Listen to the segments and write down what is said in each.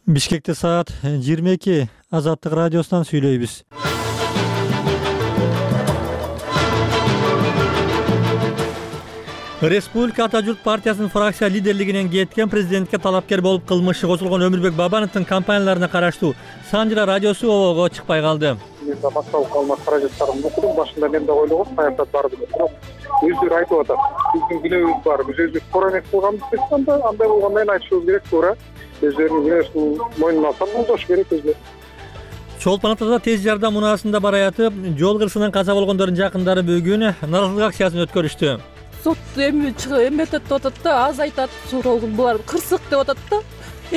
Бишкекте саат 22. Азаттык радиосунан сүйлөйбүз. Республика Ата журт партиясынын фракция лидерлигинен кеткен президентке талапкер болуп кылмышы козулгон Өмүрбек Бабановдун компанияларына караштуу Санжыра радиосу обого чыкпай калды. Мен да башталып калган каражаттарымды окудум. Башында мен да ойлогом саясат барды деп. Бирок өздөрү айтып атат. Биздин күнөөбүз бар. Биз өзүбүз туура эмес кылганбыз деп анда андай болгондо айтышыбыз керек, туура. Өздөрүнүн күнөөсүн мойнуна алса болдош керек өзү. Чолпон Атада тез жардам унаасында бараятып, жол кырсынан каза болгондордун жакындары бүгүн нааразылык акциясын өткөрүштү. Сот эметет деп атат да, аз айтат, суралгын булар кырсык деп атат да.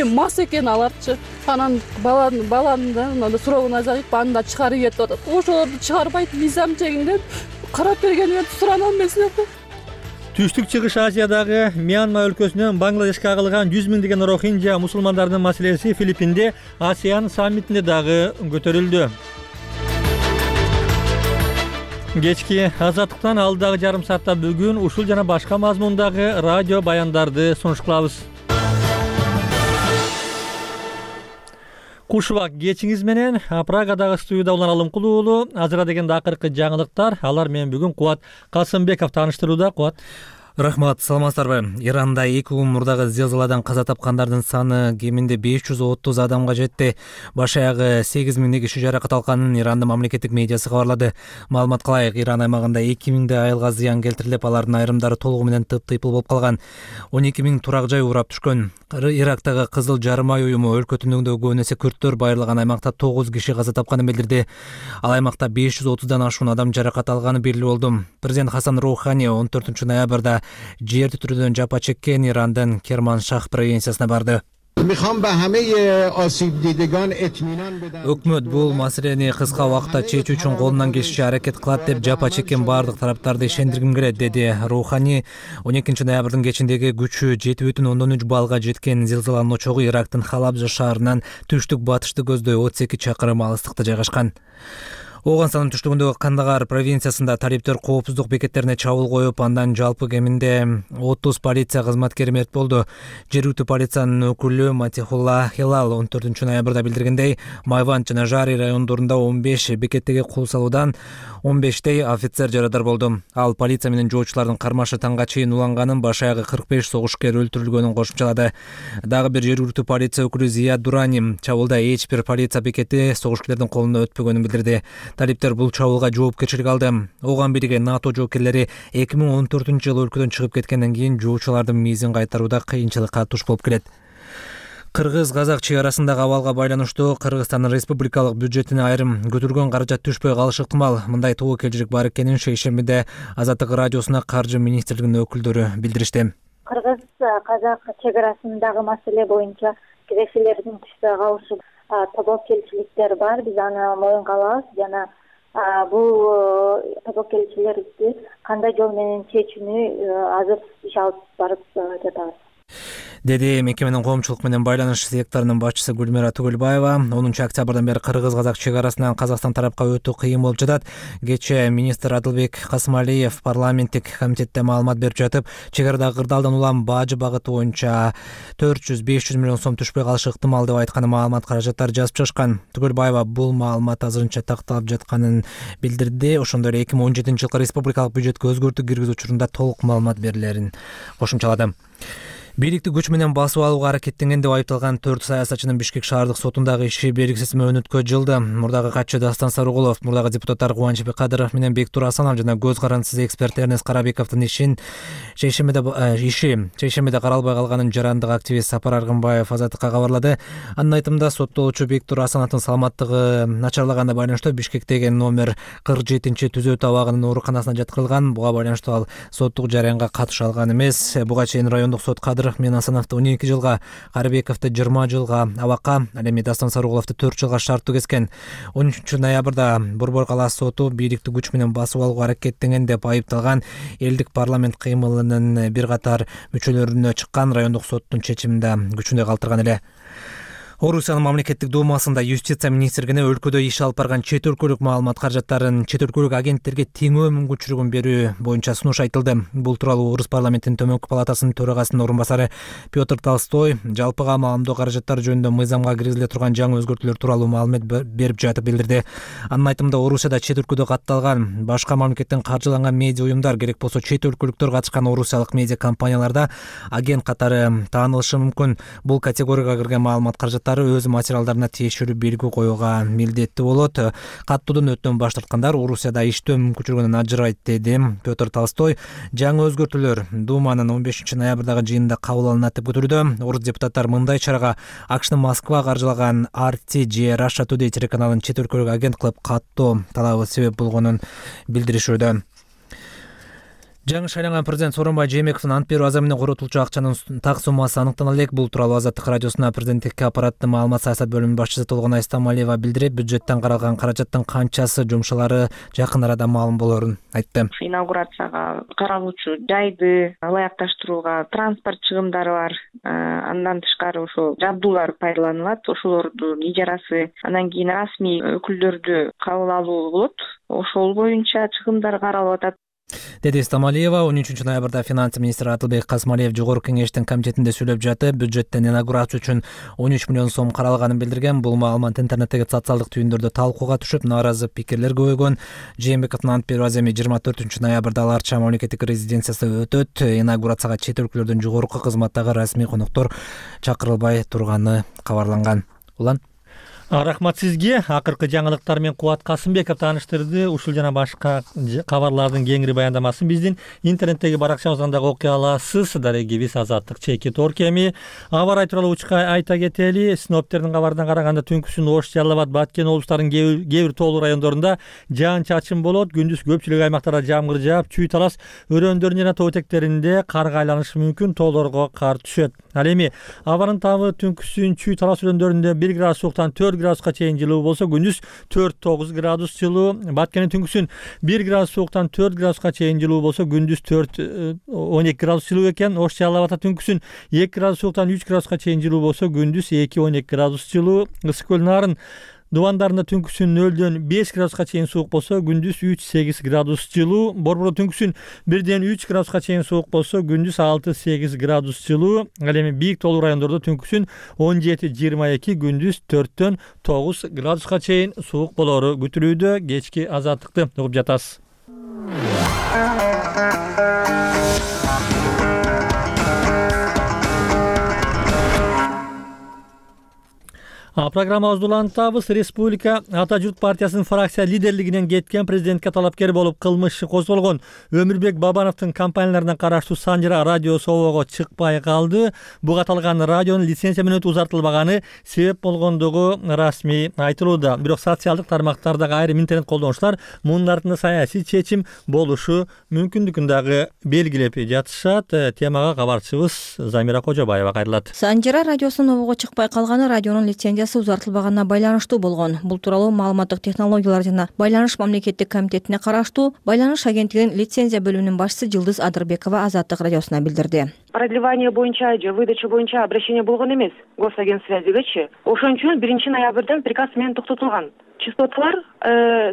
Мас экен аларчы. Анан баланы да суралгын азайып, аны да чыгарып кетип атат. Ошолорду чыгарбайт, мизам чегинден карап бергенин сурана алмайсың да. Түштүк Чыгыш Азиядагы Мьянма өлкөсүнөн Бангладешке агылган 100 миңдеген рохинжа мусулмандарынын маселеси Филиппинде ASEAN саммитинде дагы көтөрүлдү. Кечки Азаттыктан алдагы жарым саатта бүгүн ушул жана башка мазмундагы радио баяндарды сунуш кылабыз. Кушубак кечиңиз менен Прагадагы студияда уланалым кулуулу. Азыра дегенде акыркы жаңылыктар. Алар менен бүгүн Кубат Касымбеков тааныштырууда. Кубат. Рахмат, саламатсыздарбы? Иранда 2 күн мурдагы зилзаладан каза тапкандардын саны кеминде 530 адамга жетти. Баш аягы 8000 киши жаракат алганын Ирандын мамлекеттик медиасы кабарлады. Маалыматка ылайык, Иран аймагында 2000 айылга зыян келтирилип, алардын айрымдары толугу менен тыптыйпыл болуп калган. 12 000 турак жай урап түшкөн. Ирактагы Кызыл жарым ай уюму өлкө түндүгүндөгү көбүн эсе күрттөр байырлаган аймакта 9 киши каза тапканын билдирди. Ал аймакта 530дан ашуун адам жаракат алганы белгилүү болду. Президент Хасан Роухани 14 ноябрда жер титирөөдөн жапа чеккен Ирандын Керманшах провинциясына барды. Өкмөт бул маселени кыска убакытта чечүү үчүн колунан келишинче аракет кылат деп жапа чеккен бардык тараптарды ишендиргим келет, деди Роухани. 12 ноябрдын кечиндеги күчү 7,3 баллга жеткен зилзаланын очогу Ирактын Халабжа шаарынан түштүк батышты көздөй 32 чакырым алыстыкта жайгашкан. Ооган түштүгүндөгү Кандагар провинциясында талиптер коопсуздук бекеттерине чабуул коюп, андан жалпы кеминде 30 полиция кызматкери мерт болду. Жергиликтүү полициянын өкүлү Матихулла Хилал 14 ноябрда билдиргендей, Майванд жана Жари райондорунда 15 бекеттеги кол салуудан 15 офицер жарадар болду. Ал полиция менен жоочулардын кармашы таңга чейин уланганын, баш аягы 45 согушкер өлтүрүлгөнүн кошумчалады. Дагы бир жергиликтүү полиция өкүлү Зияд Дурани чабуулда эч бир полиция бекети согушкерлердин колуна өтпөгөнүн билдирди. Талиптер бул чабуулга жоопкерчилик алды. Ооган бирге НАТО жоокерлери 2014-жылы өлкөдөн чыгып кеткенден кийин жоочулардын мизин кайтарууда кыйынчылыкка туш болуп келет. Кыргыз-казак чек арасындагы абалга байланыштуу Кыргызстандын республикалык бюджетине айрым көтөргөн каражат түшпөй калышы ыктымал. Мындай тобокелчилик бар экенин шейшембиде Азаттык радиосуна Каржы министрлигинин өкүлдөрү билдиришти. Кыргыз-казак чек арасындагы маселе боюнча киреше,лердин түшпөй калышы тобокелчиликтер бар. Биз аны моюнга алабыз жана бул тобокелчилерди кандай жол менен чечүүнү азыр иш алып барып жатабыз, деди мекеменин коомчулук менен байланыш секторунун башчысы Гүлмира Түгүлбаева. 10 октябрдан бери кыргыз-казак чек арасынан Казакстан тарапка өтүү кыйын болуп жатат. Кечээ министр Адылбек Касымалиев парламенттик комитетте маалымат берип жатып, чек арадагы кырдаалдан улам бажы багыты боюнча 400-500 миллион сом түшпөй калышы ыктымал деп айтканы маалымат каражаттары жазып чыгышкан. Түгүлбаева бул маалымат азырынча такталып жатканын билдирди. Ошондой эле 2017-жылкы республикалык бюджетке өзгөртүү киргизүү учурунда толук маалымат берилерин кошумчалады. Бийликти күч менен басып алууга аракеттенген деп айыпталган 4 саясатчынын Бишкек шаардык сотундагы иши белгисиз мөөнөткө жылды. Мурдагы катчы Дастан Сарыгулов, мурдагы депутаттар Кубанычбек Кадыров менен Бектур Асанов жана көз карандысыз эксперт Эрнест Карабековдун шейшембиде каралбай калганын жарандык активист Сапар Аргынбаев Азаттыкка кабарлады. Анын айтымында, соттолуучу Бектур Асановдун саламаттыгы начарлаганына байланыштуу Бишкектеги номер 47-түзөө табагынын ооруканасына жаткырылган. Буга байланыштуу ал соттук жараянга катыша алган эмес. Буга чейин райондук сот Кадыров мен Асановду 12 жылга, Карабековду 20 жылга абакка, ал эми Дастан Сарыгуловду 4 жылга шарттуу кескен. 13 ноябрда Борбор калаасы соту бийликти күч менен басып алууга аракеттенген деп айыпталган элдик парламент кыймылынын бир катар мүчөлөрүнө чыккан райондук соттун чечимин да күчүндө калтырган эле. Орусиянын мамлекеттик думасында юстиция министрлигине өлкөдө иш алып барган чет өлкөлүк маалымат каражаттарын чет өлкөлүк агенттерге теңөө мүмкүнчүлүгүн берүү боюнча сунуш айтылды. Бул тууралуу Орус парламентинин төмөнкү палатасынын төрагасынын орун басары Петр Толстой жалпыга маалымдоо каражаттары жөнүндө мыйзамга киргизиле турган жаңы өзгөртүүлөр тууралуу маалымат берип жатып билдирди. Анын айтымында Орусияда чет өлкөдө катталган башка мамлекеттен каржыланган медиа уюмдар, керек болсо чет өлкөлүктөр катышкан орусиялык медиа компанияларда агент катары таанылышы мүмкүн. Бул категорияга кирген маалымат каражаттары өз материалдарына тиешелүү белги коюуга милдеттүү болот. Каттоодон өтөн баш тарткандар Орусияда иштөө мүмкүнчүлүгүнөн ажырайт, деди Петр Толстой. Жаңы өзгөртүүлөр Думанын 15 ноябрдагы жыйынында кабыл алынат деп күтүлүүдө. Орус депутаттар мындай чарага АКШнын Москва каржылаган RT же Russia Today телеканалын чет өлкөлүк агент кылып каттоо талабы себеп болгонун билдиришүүдө. Жаңы шайланган президент Сооронбай Жээнбековдун ант берүү азабы менен коротулчу акчанын так суммасы аныктана элек. Бул тууралуу Азаттык радиосуна президенттикке аппараттын маалымат саясат бөлүмүнүн башчысы Толгонай Стамалиева билдирип, бюджеттен каралган каражаттын канчасы жумшалары жакын арада маалым болорун айтты. Инаугурацияга каралуучу жайды ылайыкташтырууга транспорт чыгымдары бар. Андан тышкары ошо жабдуулар пайдаланылат. Ошолордун ижарасы, андан кийин расмий өкүлдөрдү кабыл алуу болот. Ошол боюнча чыгымдар каралып атат, деди Стамалиева. 13 ноябрда финанс министри Атылбек Касмалиев жогорку кеңештин комитетинде сүйлөп жатып, бюджеттен инаугурация үчүн 13 миллион сом каралганын билдирген. Бул маалымат интернеттеги социалдык түйүндөрдө талкууга түшүп, нааразы пикирлер көбөйгөн. Жээнбековдун ант берүү аземи 24 ноябрда Ала Арча мамлекеттик резиденциясында өтөт. Инаугурацияга чет өлкөлөрдөн жогорку кызматтагы расмий коноктор чакырылбай турганы кабарланган. Улан Рахмат сизге. Акыркы жаңылыктар менен Кубат Касымбеков тааныштырды. Ушул жана башка кабарлардын кеңири баяндамасын биздин интернеттеги баракчабыздан дагы окуй аласыз. Дарегибиз Азаттык чеки торкеми. Аба ырайы тууралуу учка айта кетели. Синоптиктердин кабарына караганда түнкүсүн Ош, Жалал Абад, Баткен облустарынын кээ бир тоолуу райондорунда жаан-чачын болот. Күндүз көпчүлүк аймактарда жамгыр жаап, чүй талас өрөөндөрүн жана тоо этектеринде карга айланышы мүмкүн. Тоолорго кар түшөт. Ал эми абанын табы түнкүсүн чүй талас өрөөндөрүндө 1 градус сууктан 4 градуска чейин жылуу болсо, күндүз 4-9 градус жылуу. Баткендин түнкүсүн 1 градус сууктан 4 градуска чейин жылуу болсо, күндүз 4-12 градус жылуу экен. Ош, Жалал Абадта түнкүсүн 2 градус сууктан 3 градуска чейин жылуу болсо, күндүз 2-12 градус жылуу. Ысык көл Нарын Дубандарында түнкүсүн 0-дөн 5 градуска чейин суук болсо, күндүз 3-8 градус жылуу. Борбордо түнкүсүн 1-ден 3 градуска чейин суук болсо, күндүз 6-8 градус жылуу. Ал эми бийик тоолуу райондордо түнкүсүн 17-22, күндүз 4-дөн 9 градуска чейин суук болору күтүлүүдө. Кечки азаттыкты угуп жатасыз. Программабызды улантабыз. Республика Ата журт партиясынын фракция лидерлигинен кеткен, президентке талапкер болуп кылмыш иши козголгон Өмүрбек Бабановдун компанияларына караштуу Санжара радиосу обого чыкпай калды. Буга аталган радионун лицензия мөөнөтү узартылбаганы себеп болгондугу расмий айтылууда. Бирок социалдык тармактардагы айрым интернет колдонуучулар мунун артында саясий чечим болушу мүмкүндүгүн дагы белгилеп жатышат. Темага кабарчыбыз Замира Кожобаева кайрылат. Санжара радиосунун обого чыкпай калганы радионун лицензиясы узартылбаганына байланыштуу болгон. Бул тууралуу маалыматтык технологиялар жана байланыш мамлекеттик комитетине караштуу байланыш агенттигинин лицензия бөлүмүнүн башчысы Жылдыз Адырбекова Азаттык радиосуна билдирди. Продлевание боюнча же выдача боюнча обращение болгон эмес госагентсвязигечи. Ошон үчүн 1 ноябрдан приказ менен токтотулган. Частоталар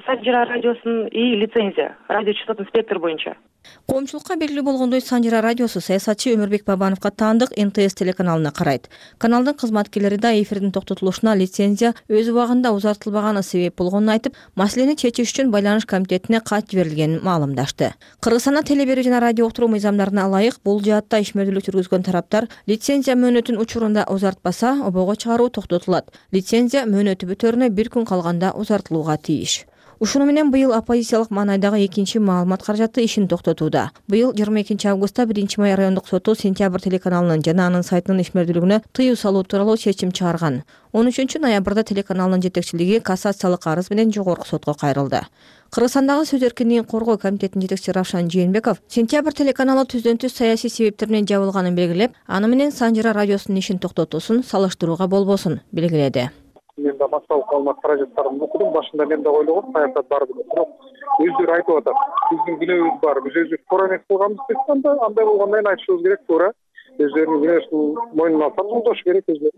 Санжара радиосунун и лицензия радиочастотный спектр боюнча. Коомчулукка белгилүү болгондой, Санжара радиосу саясатчы Өмүрбек Бабановго таандык НТС телеканалына карайт. Каналдын кызматкерлери да эфирдин токтотулушуна лицензия өз убагында узартылбаганы себеп болгонун айтып, маселени чечиш үчүн байланыш комитетине кат жиберилгенин маалымдашты. Кыргызстанда теле берүү жана радио уктуруу мыйзамдарына ылайык бул жаатта ишмердүүлүк жүргүзгөн тараптар лицензия мөөнөтүн учурунда узартпаса, обого чыгаруу токтотулат. Лицензия мөөнөтү бүтөрүнө 1 күн калганда узартылууга тийиш. Ушуну менен быйыл оппозициялык маанайдагы экинчи маалымат каражаты ишин токтотууда. Быйыл 22 августта 1 май райондук соту Сентябрь телеканалынын жана анын сайтынын ишмердүүлүгүнө тыюу салуу тууралуу чечим чыгарган. 13 ноябрда телеканалдын жетекчилиги кассациялык арыз менен жогорку сотко кайрылды. Кыргызстандагы сөз эркиндигин коргоо комитетинин жетекчиси Равшан Жээнбеков Сентябрь телеканалы түздөн-түз саясий себептер менен жабылганын белгилеп, аны менен Санжара радиосунун ишин токтотуусун салыштырууга болбосун белгиледи. Мен да массалык маалымат каражаттарын окудум. Башында мен да ойлогом, саясат бар деп. Бирок өздөрү айтып атат. Биздин күнөөбүз бар. Биз өзүбүз туура эмес кылганбыз деп анда андай болгондон кийин айтышыбыз керек, туура. Өздөрүнүн күнөөсүн мойнуна алса, колдош керек өзү.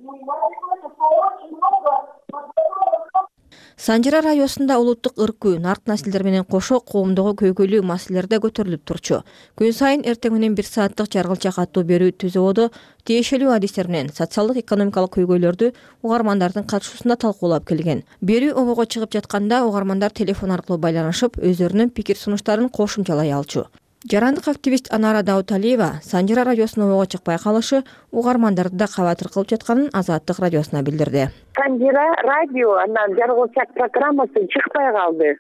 Санжыра районунда улуттук ыркуу, нарк населдер менен кошо коомдогу көйгөйлүү маселелер да көтөрүлүп турчу. Күн сайын эртең менен 1 сааттык жаргылча катуу берүү түзөөдө тиешелүү адистер менен социалдык экономикалык көйгөйлөрдү угармандардын катышуусунда талкуулап келген. Берүү обого чыгып жатканда угармандар телефон аркылуу байланышып, өздөрүнүн пикир сунуштарын кошумчалай алчу. Жарандык активист Анара Дауталиева Санжыра радиосунун обого чыкпай калышы угармандарды да кабатыр кылып жатканын Азаттык радиосуна билдирди. Санжыра радио анан жаргылчак программасы чыкпай калды.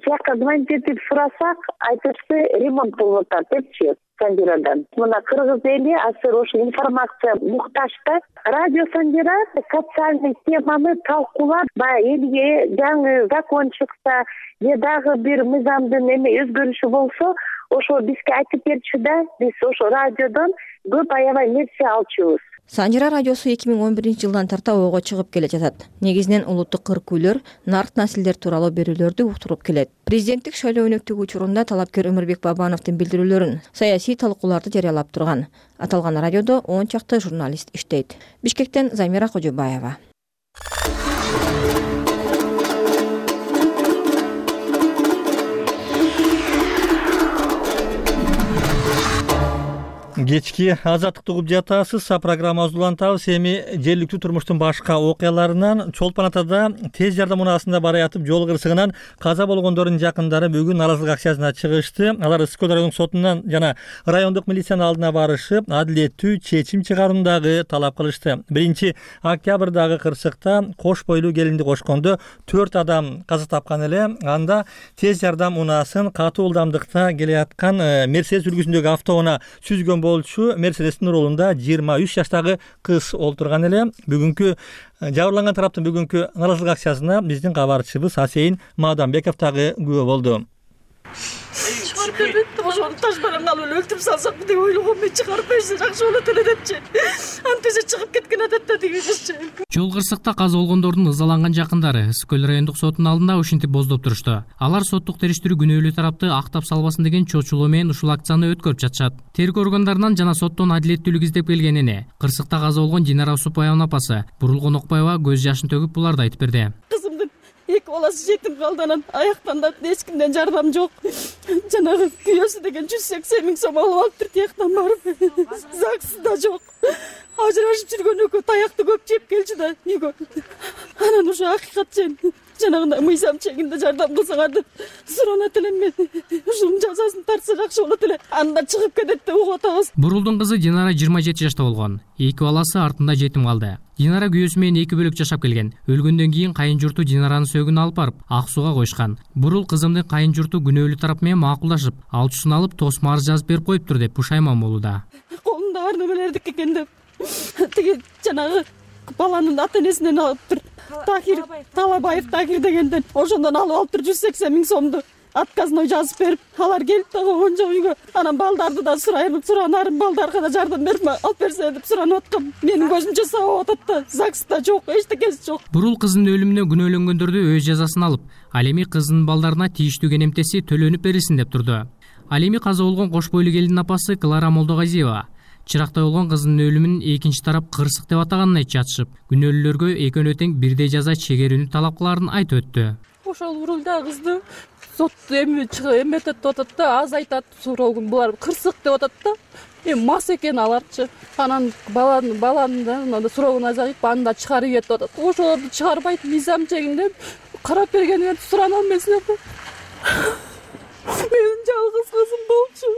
Жакка звонить этип сурасак, айтышты ремонт болуп атат депчи Санжырадан. Мына кыргыз эли азыр ошо информация муктаж да. Радио Санжыра социальный теманы талкуулап, баягы элге жаңы закон чыкса, же дагы бир мыйзамдын өзгөрүшү болсо, ошо бизге айтып берчү да, биз ошо радиодон көп аябай нерсе алчубуз. Санжыра радиосу 2011-жылдан тарта ого чыгып келе жатат. Негизинен улуттук ыркүүлөр, нарк населдер тууралуу берүүлөрдү уктуруп келет. Президенттик шайлоо өнөктүгү учурунда талапкер Өмүрбек Бабановдун билдирүүлөрүн, саясий талкууларды жарыялап турган. Аталган радиодо 10 чакты журналист иштейт. Бишкектен Замира Кожобаева. Кечки азаттыкты угуп жатасыз. Программабызды улантабыз. Эми жергиликтүү турмуштун башка окуяларынан Чолпон Атада тез жардам унаасында бара ятып жол кырсыгынан каза болгондордун жакындары бүгүн нааразылык акциясына чыгышты. Алар Ысык Көл райондук сотунан жана райондук милициянын алдына барышып, адилеттүү чечим чыгаруундагы талап кылышты. 1-октябрдагы кырсыкта кош бойлуу келинди кошкондо 4 адам каза тапкан эле. Анда тез жардам унаасын катуу ылдамдыкта келе аткан Мерседес үлгүсүндөгү автоунаа сүзгөн болчу. Мерседестин рулунда 23 жаштагы кыз олтурган эле. Бүгүнкү жабырланган тараптын бүгүнкү нааразылык акциясына биздин кабарчыбыз Асейин Мадамбеков дагы күбө болду. Ошону таш менен алып эле өлтүрүп салсак деп ойлогом, мен чыгарып берсе жакшы болот эле депчи. Антиже чыгып кеткен адатта деген кызчы. Жол кырсыкта каза болгондордун ызаланган жакындары Ысык Көл райондук сотунун алдында ушинтип боздоп турушту. Алар соттук териштирүү күнөөлүү тарапты актап салбасын деген чочулоо менен ушул акцияны өткөрүп жатышат. Тергөө органдарынан жана соттон адилеттүүлүк издеп келгенине кырсыкта каза болгон Динара Усупбаеванын апасы Бурулгон Окпаева көз жашын төгүп буларды айтып берди. Кызымдын эки баласы жетим калды, анан аяктан да эч кимден жардам жок. Жанагы күйөөсү деген 180 000 сом алып алыптыр тияктан барып. ЗАГС да жок. Ажырашып жүргөн экөө таякты көп жеп келчү да үйгө. Анан ушу акыйкат жанагындай мыйзам чегинде жардам кылсаңар деп суранат элем мен. Ушунун жазасын тартса жакшы болот эле. Анда чыгып кетет деп угуп атабыз. Бурулдун кызы Динара 27 жашта болгон. Эки баласы артында жетим калды. Динара күйөөсү менен эки бөлөк жашап келген. Өлгөндөн кийин кайын журту Динаранын сөөгүн алып барып ак сууга коюшкан. Бурул кызымдын кайын журту күнөөлүү тарап менен макулдашып, алчусын алып тосмо арыз жазып берип коюптур деп пушайман болууда. Колунда бар немелердики экен деп. Тиги жанагы баланын ата энесинен алыптыр. Талабаев Тахир дегенден ошондон алып 180 000 сомду отказной жазып берип, алар келип да койгон жок үйгө. Анан балдарды да суранарым, балдарга да жардам берип алып берсе деп суранып аткам. Менин көзүмчө сабап атат да, ЗАГС да жок, эчтекеси жок. Бурул кызынын өлүмүнө күнөөлөнгөндөрдү өз жазасын алып, ал эми кызынын балдарына тийиштүү кенемтеси төлөнүп берилсин деп турду. Ал эми каза болгон кош бойлуу келиндин апасы Клара Молдогазиева чырактай болгон кызынын өлүмүн экинчи тарап кырсык деп атаганын айтып жатышып, күнөөлүүлөргө экөөнө тең бирдей жаза чегерүүнү талап кылаарын айтып өттү. Ошол урулда кызды сот эметет деп атат да, аз айтат, суроогун булар кырсык деп атат да. Мас экен аларчы. Анан баланын да суроогун азайып, аны да чыгарып ийет деп атат. Ошолорду чыгарбайт, мыйзам чегинде карап бергенин сурана алмайсыңар да. Менин жалгыз кызым болчу.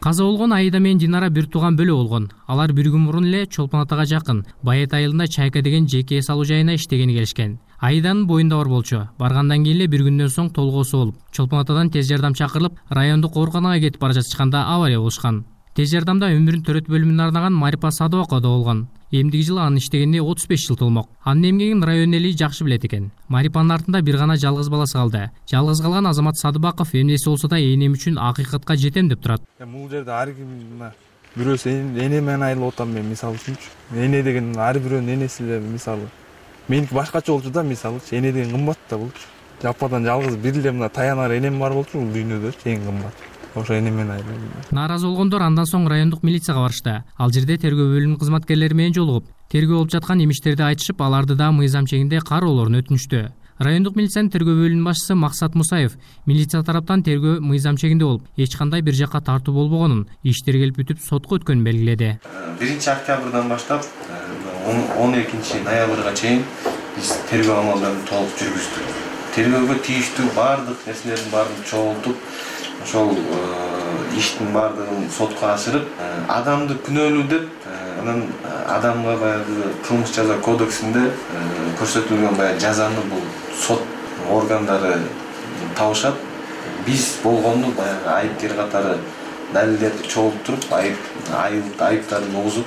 Каза болгон Аида менен Динара бир тууган бөлө болгон. Алар бир күн мурун эле Чолпон Атага жакын Байет айылында Чайка деген жеке эс алуу жайына иштегени келишкен. Аиданын боюнда бар болчу. Баргандан кийин эле бир күндөн соң толгоосу болуп, Чолпон Атадан тез жардам чакырылып, райондук ооруканага кетип бара жатышканда авария болушкан. Тез жардамда өмүрүн төрөт бөлүмүнө арнаган Марипа Садыбакова да болгон. Эмдиги жылы анын иштегенине 35 жыл толмок. Анын эмгегин район эли жакшы билет экен. Марипанын артында бир гана жалгыз баласы калды. Жалгыз калган Азамат Садыбаков эмнеси болсо да энем үчүн акыйкатка жетем деп турат. Бул жерде ар ким бирөөсү эне менен айылып отам мен мисалы үчүнчү. Эне деген ар бирөөнүн энеси эле мисалы. Меники башкача болчу да мисалычы. Эне деген кымбат да болчу. Жападан жалгыз бир эле мына таянар энем бар болчу бул дүйнөдө эң кымбат. Ошо эне менен айылып. Нааразы болгондор андан соң райондук милицияга барышты. Ал жерде тергөө бөлүмүнүн кызматкерлери менен жолугуп, тергөө болуп жаткан имиштерди айтышып, аларды да мыйзам чегинде кароолорун өтүнүштү. Райондук милициянын тергөө бөлүмүнүн башчысы Максат Мусаев милиция тараптан тергөө мыйзам чегинде болуп, эч кандай бир жакка тартуу болбогонун, иштер келип бүтүп сотко өткөнүн белгиледи. 1-октябрдан баштап 12 ноябрга чейин биз тергөө амалдарын толук жүргүздүк. Тергөөгө тийиштүү баардык нерселердин баарын чогултуп, ошол иштин баардыгын сотко ашырып, адамды күнөөлүү деп, анан адамга баягы кылмыш жаза кодексинде көрсөтүлгөн баягы жазаны бул сот органдары табышат. Биз болгону баягы айыпкер катары далилдерди чогултуруп, айыптарын угузуп.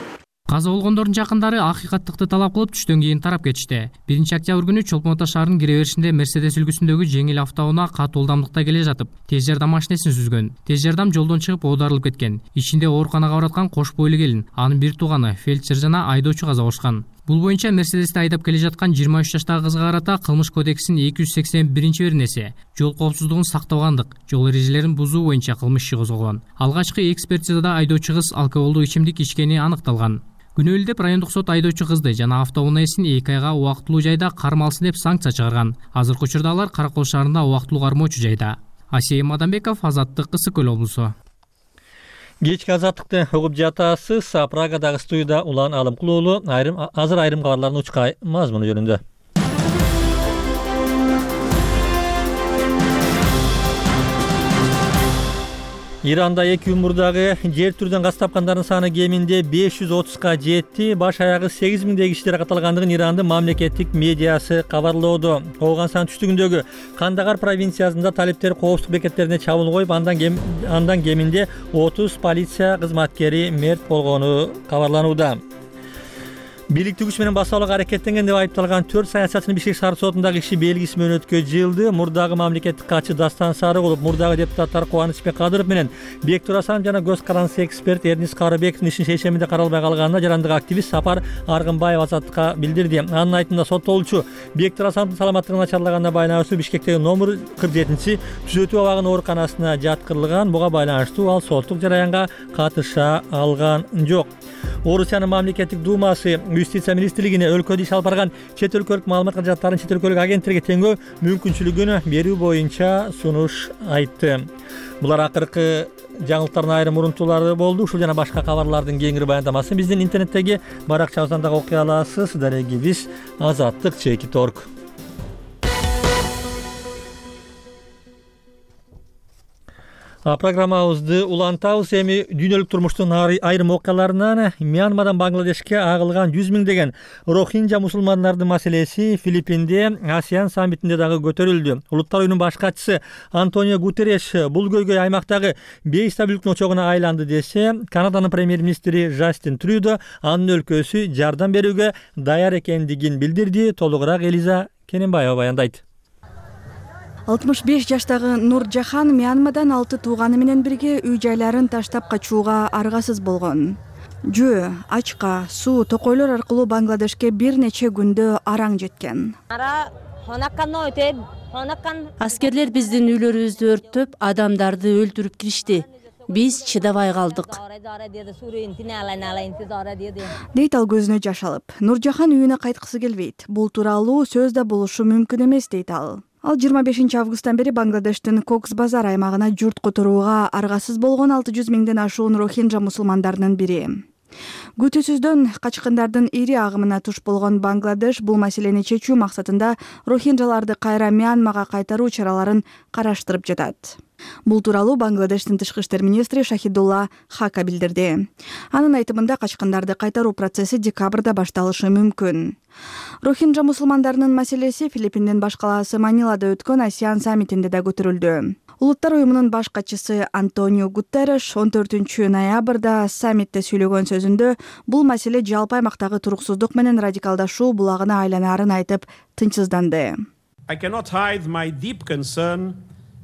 Каза болгондордун жакындары акыйкаттыкты талап кылып түштөн кийин тарап кетишти. 1-октябрь күнү Чолпон Ата шаарынын кире беришинде Мерседес үлгүсүндөгү жеңил автоунаа катуу ылдамдыкта келе жатып, тез жардам машинесин сүзгөн. Тез жардам жолдон чыгып оодарылып кеткен. Ичинде ооруканага бараткан кош бойлуу келин, анын бир тууганы, фельдшер жана айдоочу каза болушкан. Бул боюнча Мерседести айдап келе жаткан 23 жаштагы кызга карата кылмыш кодексинин 281-беренеси жол коопсуздугун сактабагандык, жол эрежелерин бузуу боюнча кылмыш иши козголгон. Алгачкы экспертизада айдоочу кыз алкоголдук ичимдик ичкени аныкталган. Күнөөлүү деп райондук сот айдоочу кызды жана автоунаа ээсин 2 айга убактылуу жайда кармалсын деп санкция чыгарган. Азыркы учурда алар Каракол шаарында убактылуу кармоочу жайда. Асия Мадамбеков, Азаттык, Ысык Көл облусу. Кечки азаттыкты угуп жатасыз. Прагадагы студияда Улан Алымкулуулу азыр айрым кабарлардын учка мазмуну жөнүндө. Иранда 2 мурдагы жер түрдөн газ тапкандардын саны кеминде 530га жетти. Баш аягы 8000 киши каталгандыгын Ирандын мамлекеттик медиасы кабарлоодо. Ооган түштүгүндөгү Кандагар провинциясында талиптер коопсуздук бекеттерине чабуул коюп, андан кеминде 30 полиция кызматкери мерт болгону кабарланууда. Бийликтүү күч менен басалык аракеттенген деп айыпталган 4 саясатчынын Бишкек шаар сотундагы иши белгисиз мөөнөткө жылды. Мурдагы мамлекеттик катчы Дастан Сарыгулов, мурдагы депутаттар Кубанычбек Кадыров менен Бектур Асанов жана көз карандысы эксперт Эрнис Карыбековдун ишин шешеминде каралбай калганына жарандык активист Сапар Аргынбаев Азаттыкка билдирди. Анын айтымында соттолуучу Бектур Асановдун саламаттыгын начарлаганына байланыштуу Бишкектеги номер 47 түзөтүү абагынын ооруканасына жаткырылган. Буга байланыштуу ал соттук жараянга катыша алган жок. Орусиянын мамлекеттик думасы Юстиция министрлигине өлкөдө иш алып барган чет өлкөлүк маалымат каражаттарын чет өлкөлүк агенттиктерге теңөө мүмкүнчүлүгүн берүү боюнча сунуш айтты. Булар акыркы жаңылыктардын айрым урунтуулары болду. Ушул жана башка кабарлардын кеңири баяндамасын биздин интернеттеги баракчабыздан дагы окуй аласыз. Дарегибиз Азаттык.org. Программабызды улантабыз. Эми дүйнөлүк турмуштун айрым окуяларынан Мьянмадан Бангладешке агылган 100 миңдеген рохинджа мусулмандардын маселеси Филиппинде ASEAN саммитинде дагы көтөрүлдү. Улуттар уюмунун баш катчысы Антонио Гутерреш бул көйгөй аймактагы бейстабилдиктин очогуна айланды десе, Канаданын премьер-министри Жастин Трюдо анын өлкөсү жардам берүүгө даяр экендигин билдирди. Толугураак Элиза Кененбаева баяндайт. 65 жаштагы Нур Жахан Мьянмадан 6 тууганы менен бирге үй жайларын таштап качууга аргасыз болгон. Жөө, ачка, суу, токойлор аркылуу Бангладешке бир нече күндө араң жеткен. Аскерлер биздин үйлөрүбүздү өрттөп, адамдарды өлтүрүп киришти. Биз чыдабай калдык. Дейт ал көзүнө жаш алып. Нур Жахан үйүнө кайткысы келбейт. Бул тууралуу сөз да болушу мүмкүн эмес дейт ал. Ал 25 августтан бери Бангладештин Кокс базар аймагына журт которууга аргасыз болгон 600 миңден ашуун рохинджа мусулмандарынын бири. Күтүүсүздөн качкындардын ири агымына туш болгон Бангладеш бул маселени чечүү максатында рохинджаларды кайра Мьянмага кайтаруу чараларын караштырып жатат. Бул тууралуу Бангладештин тышкы иштер министри Шахидулла Хака билдирди. Анын айтымында качкындарды кайтаруу процесси декабрда башталышы мүмкүн. Рохинджа мусулмандарынын маселеси Филиппиндин баш калаасы Манилада өткөн ASEAN саммитинде да көтөрүлдү. Улуттар уюмунун баш катчысы Антонио Гутерреш 14 ноябрда саммитте сүйлөгөн сөзүндө бул маселе жалпы аймактагы туруксуздук менен радикалдашуу булагына айланаарын айтып тынчсызданды.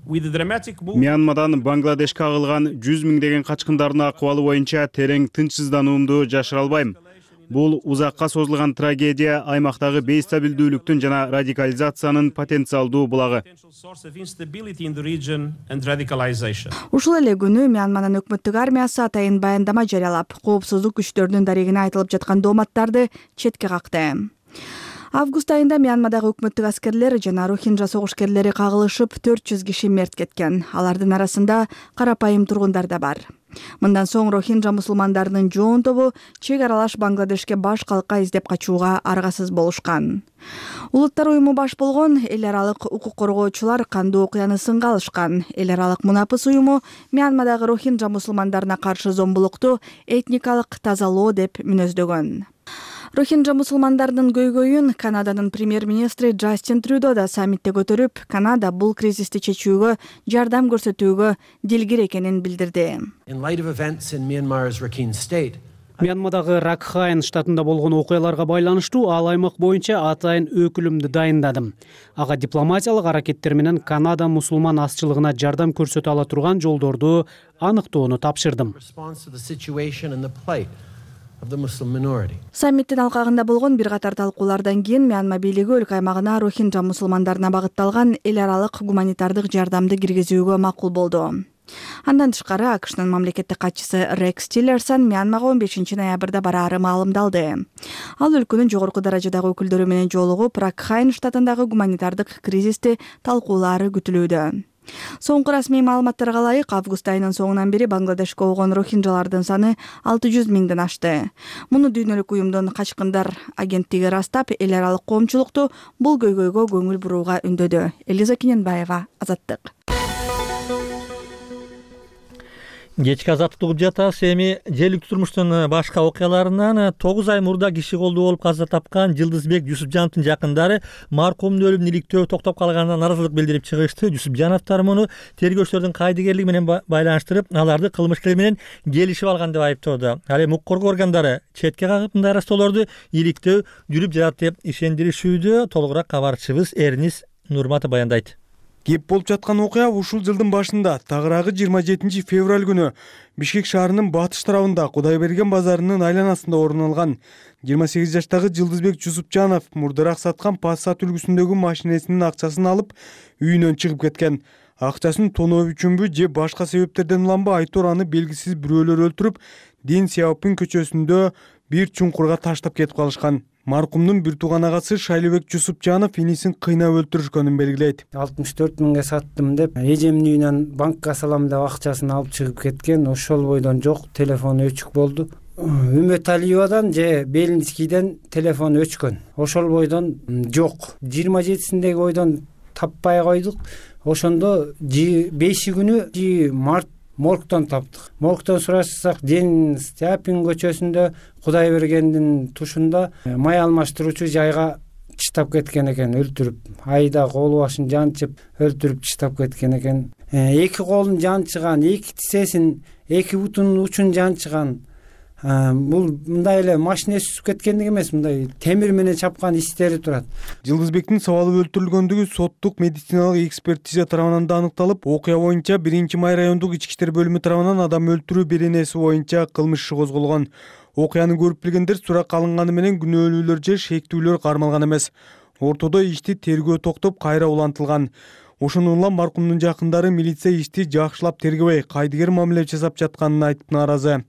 Мьянмадан Бангладешке агылган 100 миңдеген качкындардын акыбалы боюнча терең тынчсыздануумду жашыра албайм. Бул узакка созулган трагедия аймактагы бейстабилдүүлүктүн жана радикализациянын потенциалдуу булагы. Ушул эле күнү Мьянманын өкмөттүк армиясы атайын баяндама жарыялап, коопсуздук күчтөрүнүн дарегине айтылып жаткан дооматтарды четке какты. Август айында Мьянмадагы өкмөттүк аскерлер жана рохинжа согушкерлери кагылышып 400 киши мерт кеткен. Алардын арасында карапайым тургундар да бар. Мындан соң рохинжа мусулмандарынын жоон тобу чек аралаш Бангладешке баш калка издеп качууга аргасыз болушкан. Улуттар уюму баш болгон эл аралык укук коргоочулар кандуу окуяны сынга алышкан. Эл аралык мунапыс уюму Мьянмадагы рохинжа мусулмандарына каршы зомбулукту этникалык тазалоо деп мүнөздөгөн. Рохинжа мусулмандарынын көйгөйүн Канаданын премьер-министри Джастин Трюдо да саммитте көтөрүп, Канада бул кризисти чечүүгө жардам көрсөтүүгө дилгир экенин билдирди. Мьянмадагы Ракхайн штатында болгон окуяларга байланыштуу ал аймак боюнча атайын өкүлүмдү дайындадым. Ага дипломатиялык аракеттер менен Канада мусулман азчылыгына жардам көрсөтө ала турган жолдорду аныктоону тапшырдым. Саммиттин алкагында болгон бир катар талкуулардан кийин Мьянма бийлиги өлкө аймагына рохинжа мусулмандарына багытталган эл аралык гуманитардык жардамды киргизүүгө макул болду. Андан тышкары АКШнын мамлекеттик катчысы Рекс Тиллерсон Мьянмага 15 ноябрда бараары маалымдалды. Ал өлкөнүн жогорку даражадагы өкүлдөрү менен жолугуп, Ракхайн штатындагы гуманитардык кризисти талкуулаары күтүлүүдө. Соңку расмий маалыматтарга ылайык, август айынын соңунан бери Бангладешке болгон рохинжалардын саны 600 миңден ашты. Муну дүйнөлүк уюмдун качкындар агенттиги ырастап, эл аралык коомчулукту бул көйгөйгө көңүл бурууга үндөдү. Элиза Кененбаева, Азаттык. Кечки азаттык угуп жатабыз. Эми желиктүү турмуштун башка окуяларынан 9 ай мурда киши колдуу болуп каза тапкан Жылдызбек Жусупжановдун жакындары маркумдун өлүмүн иликтөө токтоп калганына наразылык билдирип чыгышты. Жусупжановдор муну тергөөчүлөрдүн кайдыгерлиги менен байланыштырып, аларды кылмышкер менен келишип алган деп айыптоодо. Ал эми укук коргоо органдары четке кагып мындай арастоолорду иликтөө жүрүп жатат деп ишендиришүүдө. Толугураак кабарчыбыз Эрнис Нурматов баяндайт. Кеп болуп жаткан окуя ушул жылдын башында, тагыраагы 27 февраль күнү Бишкек шаарынын батыш тарабында Кудайберген базарынын айланасында орун алган. 28 жаштагы Жылдызбек Жусупжанов мурдараак саткан Passat үлгүсүндөгү машинесинин акчасын алып, үйүнөн чыгып кеткен. Акчасын тоноо үчүнбү же башка себептерден уламбы айтор аны белгисиз бирөөлөр өлтүрүп, Дин Сяопин көчөсүндө бир чуңкурга таштап кетип калышкан. Маркумдун бир тууган агасы Шайлыбек Жусупжанов инисин кыйнап өлтүрүшкөнүн белгилейт. 64 миңге саттым деп, эжемдин үйүнөн банкка салам деп акчасын алып чыгып кеткен. Ошол бойдон жок, телефону өчүк болду. Үмөталиевадан же Белинскийден телефон өчкөн. Ошол бойдон жок. 27-синдеги бойдон таппай койдук. Ошондо 5 күнү март моргтон таптык. Моргтон сурашсак, Дин Сяопин көчөсүндө Кудайбергендин тушунда май алмаштыруучу жайга чыштап кеткен экен, өлтүрүп. Айда колу башын жанчып, өлтүрүп чыштап кеткен экен. Эки колун жанчыган, эки тисесин, эки бутунун учун жанчыган. Бул мындай эле машинеси түсүп кеткендик эмес, мындай темир менен чапкан истери турат. Жылдызбектин сабалып өлтүрүлгөндүгү соттук медициналык экспертиза тарабынан да аныкталып, окуя боюнча 1-май райондук ички иштер бөлүмү тарабынан адам өлтүрүү беренеси боюнча кылмыш иши козголгон. Окуяны көрүп билгендер суракка алынганы менен күнөөлүүлөр же шектүүлөр кармалган эмес. Ортодо ишти тергөө токтоп кайра улантылган. Ошондон улам маркумдун жакындары милиция ишти жакшылап тергебей, кайдыгер мамиле жасап жатканын айтып нааразы.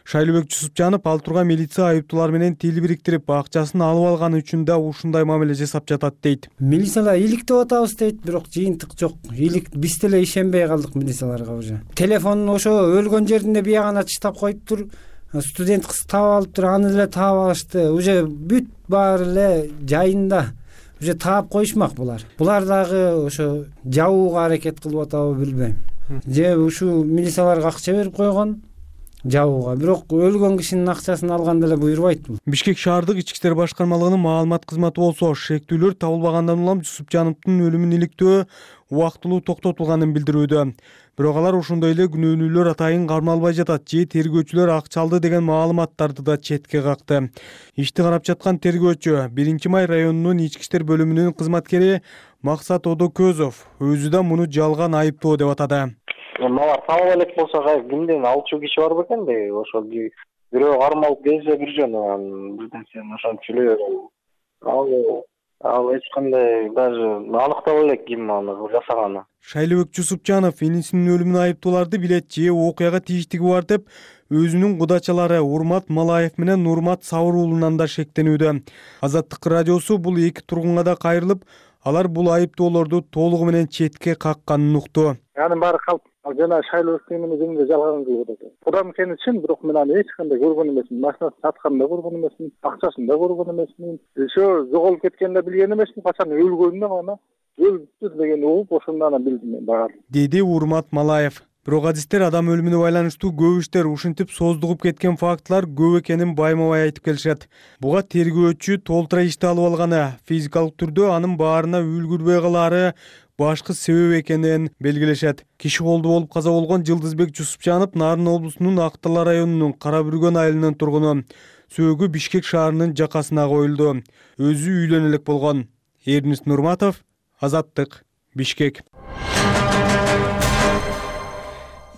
Шайлыбек Жусупжанов ал турган милиция айыптуулар менен тил бириктирип, акчасын алып алганы үчүн да ушундай мамиле жасап жатат дейт. Милициялар иликтеп атабыз дейт, бирок жыйынтык жок. Биз деле ишенбей калдык милицияларга уже. Телефонун ошо өлгөн жеринде биягана чыштап коюптур. Студент кыз таап алыптыр, аны деле таап алышты. Уже бүт баары эле жайында. Уже таап коюшмак булар. Булар дагы ошо жабууга аракет кылып атабы билбейм. Же ушу милицияларга акча берип койгон жабууга, бирок өлгөн кишинин акчасын алган деле буйрубайт бул. Бишкек шаардык ички иштер башкармалыгынын маалымат кызматы болсо, шектүүлөр табылбагандан улам Жусупжановдун өлүмүн иликтөө убактылуу токтотулганын билдирүүдө. Бирок алар ошондой эле күнөөнүүлөр атайын кармалбай жатат же тергөөчүлөр акча алды деген маалыматтарды да четке какты. Ишти карап жаткан тергөөчү 1-май районунун ички иштер бөлүмүнүн кызматкери Максат Одокөзов өзү да муну жалган айыптоо деп атады. Алар табыла элек болсо, кимден алчу киши бар бекен де, ошол бирөө кармалып келсе бир жөн, бирден сен ошончу эле ал Ал эч кандай даже аныктап элек ким аны жасаганы. Шайлыбек Жусупжанов энисинин өлүмүнө айыптууларды билет же окуяга тийиштиги бар деп өзүнүн кудачалары Урмат Малаев менен Урмат Сабыр уулунан да шектенүүдө. Азаттык радиосу бул эки тургунга да кайрылып, алар бул айыптоолорду толугу менен четке какканын укту. Анын баары калп жана Шайлыбектин эмне жөнүндө жалган кылып атат. Кудам сени чын, бирок мен аны эч кандай көргөн эмесмин. Машинасын сатканын да көргөн эмесмин, акчасын да көргөн эмесмин. Ошо жоголуп кеткенин да билген эмесмин, качан өлгөнүн гана өлүптүр дегенди угуп ошондон анан билдим мен баары. Деди Урмат Малаев. Бирок адистер адам өлүмүнө байланыштуу көп иштер ушинтип создугуп кеткен фактылар көп экенин байма-бай айтып келишет. Буга тергөөчү толтура ишти алып алганы, физикалык түрдө анын баарына үлгүрбөй калаары башкы себеп экенин белгилешет. Киши колду болуп каза болгон Жылдызбек Жусупжанов Нарын облусунун Актала районунун Кара Бүргөн айылынын тургуну. Сөөгү Бишкек шаарынын жакасына коюлду. Өзү үйлөнө элек болгон. Эрнис Нурматов, Азаттык, Бишкек.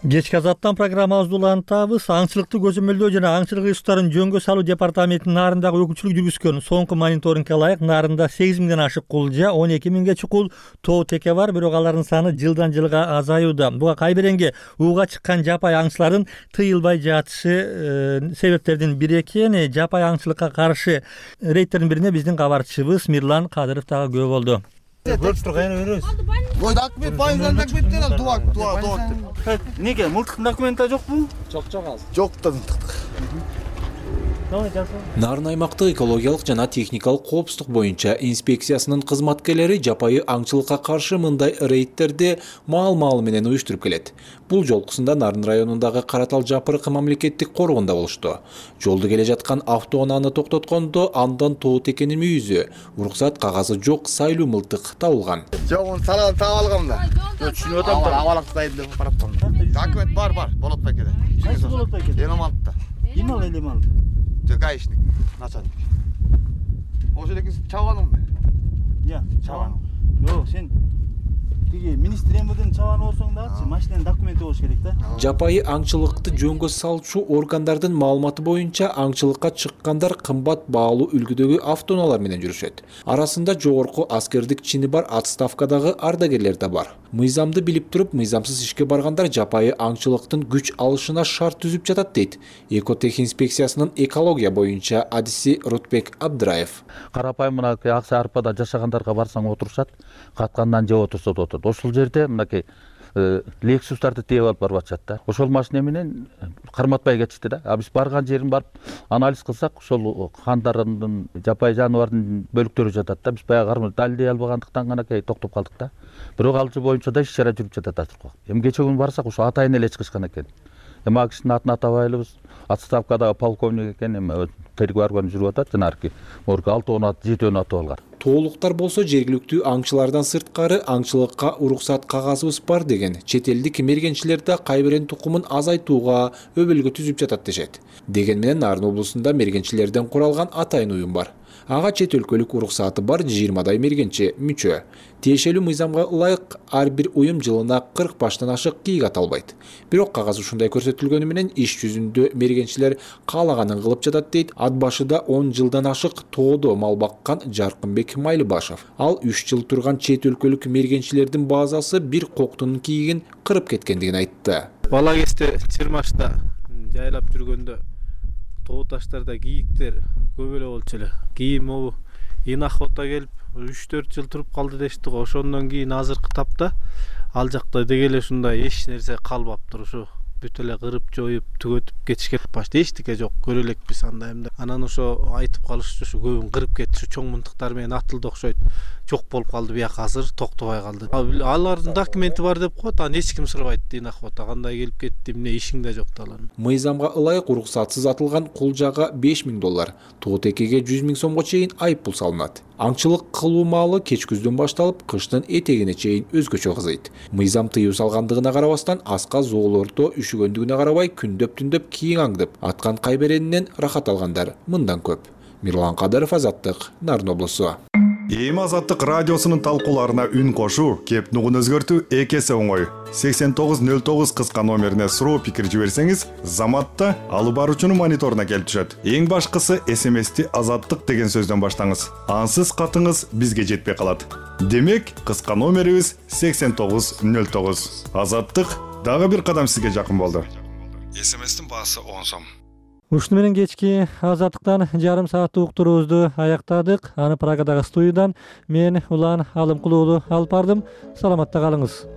Кечки Азаттан программабызды улантабыз. Аңчылыкты көзөмөлдөө жана аңчылык ыстарын жөнгө салуу департаментинин Нарындагы өкүлчүлүк жүргүзгөн соңку мониторингге ылайык Нарында 8 миңден ашык кулжа, 12 миңге чукул тоо теке бар, бирок алардын саны жылдан жылга азаюуда. Буга кайбиренге ууга чыккан жапай аңчылардын тыйылбай жатышы себептердин бири экен. Жапай аңчылыкка каршы рейдтердин бирине биздин кабарчыбыз Мирлан Кадыров дагы күбө болду. Көрүп турган беребиз. Ой, документ байыңдан документтен ал дуак. Неге мылтыктын документи жокпу? Жок азыр. Жок да мылтык. Нарын аймактык экологиялык жана техникалык коопсуздук боюнча инспекциясынын кызматкерлери жапайы аңчылыкка каршы мындай рейдтерди маал-маалы менен уюштуруп келет. Бул жолкусунда Нарын районундагы Каратал Жапырык мамлекеттик коргондо болушту. Жолду келе жаткан автоунааны токтоткондо андан тоо текенин мүйүзү, уруксат кагазы жок сайлуу мылтык табылган. Жок, салан таап алгам да. Түшүнүп атам да. Абалактайын деп бараптам. Документ бар, болот байкеде. Кайсы болот байкеде? Элемантта. Ким ал элемант? Гаишник, начальник. Ошо элеки чабаным мен. Я, чабаным. Жок, сен тиги министр эмирдин чабаны болсоң дагычы машинанын документи болуш керек да. Жапайы аңчылыкты жөнгө салчу органдардын маалыматы боюнча аңчылыкка чыккандар кымбат баалуу үлгүдөгү автоунаалар менен жүрүшөт. Арасында жогорку аскердик чини бар отставкадагы ардагерлер да бар. Мыйзамды билип туруп, мыйзамсыз ишке баргандар жапайы аңчылыктын күч алышына шарт түзүп жатат дейт Экотех инспекциясынын экология боюнча адиси Рутбек Абдыраев. Карапайым мынакей акса арпада жашагандарга барсаң отурушат, каткандан жеп отурса да отурат. Ошол жерде мынакей Лексустарды тээп алып барып атышат да. Ошол машина менен карматпай кетишти да. А биз барган жерин барып анализ кылсак, ошол кандардын жапайы жаныбардын бөлүктөрү жатат да. Биз баягы далилдей албагандыктан ганакей токтоп калдык да. Бирок ал боюнча да иш-чара жүрүп жатат азыр. Эми кече күнү барсак, ошо атайын эле чыгышкан экен. Эми ал кишинин атын атабайлыбыз. Отставкадагы полковник экен, эми тергөө органы жүрүп атат. Жанагы морга 6-7 атып алган. Тоолуктар болсо жергиликтүү аңчылардан сырткары аңчылыкка уруксат кагазыбыз бар деген чет элдик мергенчилер да кайбирен тукумун азайтууга өбөлгө түзүп жатат дешет. Деген менен Нарын облусунда мергенчилерден куралган атайын уюм бар. Ага чет өлкөлүк уруксаты бар 20дай мергенчи мүчө. Тиешелүү мыйзамга ылайык ар бир уюм жылына 40 баштан ашык кийик ата албайт. Бирок кагаз ушундай көрсөтүлгөнү менен иш жүзүндө мергенчилер каалаганын кылып жатат дейт ат башыда 10 жылдан ашык тоодо мал баккан Жаркынбек Майлыбашев. Ал 3 жыл турган чет өлкөлүк мергенчилердин базасы бир коктунун кийигин кырып кеткендигин айтты. Бала кезде Чырмашта жайлап жүргөндө тоо таштарда кийиктер көп эле болчу эле. Кийин могу инохота келип 3-4 жыл туруп калды дешти го. Ошондон кийин азыркы тапта ал жакта деги эле ушундай эч нерсе калбаптыр. Ушу бүт эле кырып жоюп түгөтүп кетишкен. Башта эчтеке жок, көрө элекпиз анда эмне. Анан ошо айтып калышчу, ушу көбүн кырып кетти, чоң мынтыктар менен атылды окшойт. Жок болуп калды, бияк азыр токтобой калды. Алардын документи бар деп коет, аны эч ким сурабайт дейт инохота. Кандай келип кетти, эмне ишиң да жок да алардын. Мыйзамга ылайык уруксатсыз атылган кулжага $5.000, тоо текеге $100.000 сомго чейин айыппул салынат. Аңчылык кылуу маалы кеч күздөн башталып, кыштын этегине чейин өзгөчө кызыйт. Мыйзам тыюу салгандыгына карабастан, аска зоолордо üşүгөндүгүнө карабай күндөп-түндөп кийин аңдып, аткан кайберенинен рахат алгандар мындан көп. Мирлан Кадыров, Азаттык, Нарын облусу. Эми Азаттык радиосунун талкууларына үн кошуу, кеп нугун өзгөртүү эки эсе оңой. 8909 кыска номерине суроо пикир жиберсеңиз, Заматта алып баруучунун мониторуна келип түшөт. Эң башкысы СМСти Азаттык деген сөздөн баштаңыз. Ансыз катыңыз бизге жетпей калат. Демек, кыска номерибиз 8909. Азаттык дагы бир кадам сизге жакын болду. СМСтин баасы 10 сом. Ушуну менен кечки Азаттыктан жарым сааттык уктуруубузду аяктадык. Аны Прагадагы студиядан мен Улан Алымкул уулу алып бардым. Саламатта калыңыз.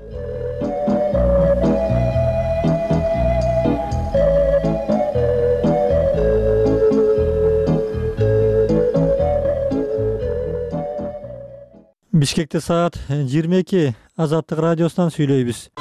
Бишкекте саат 22. Азаттык радиосунан сүйлөйбүз.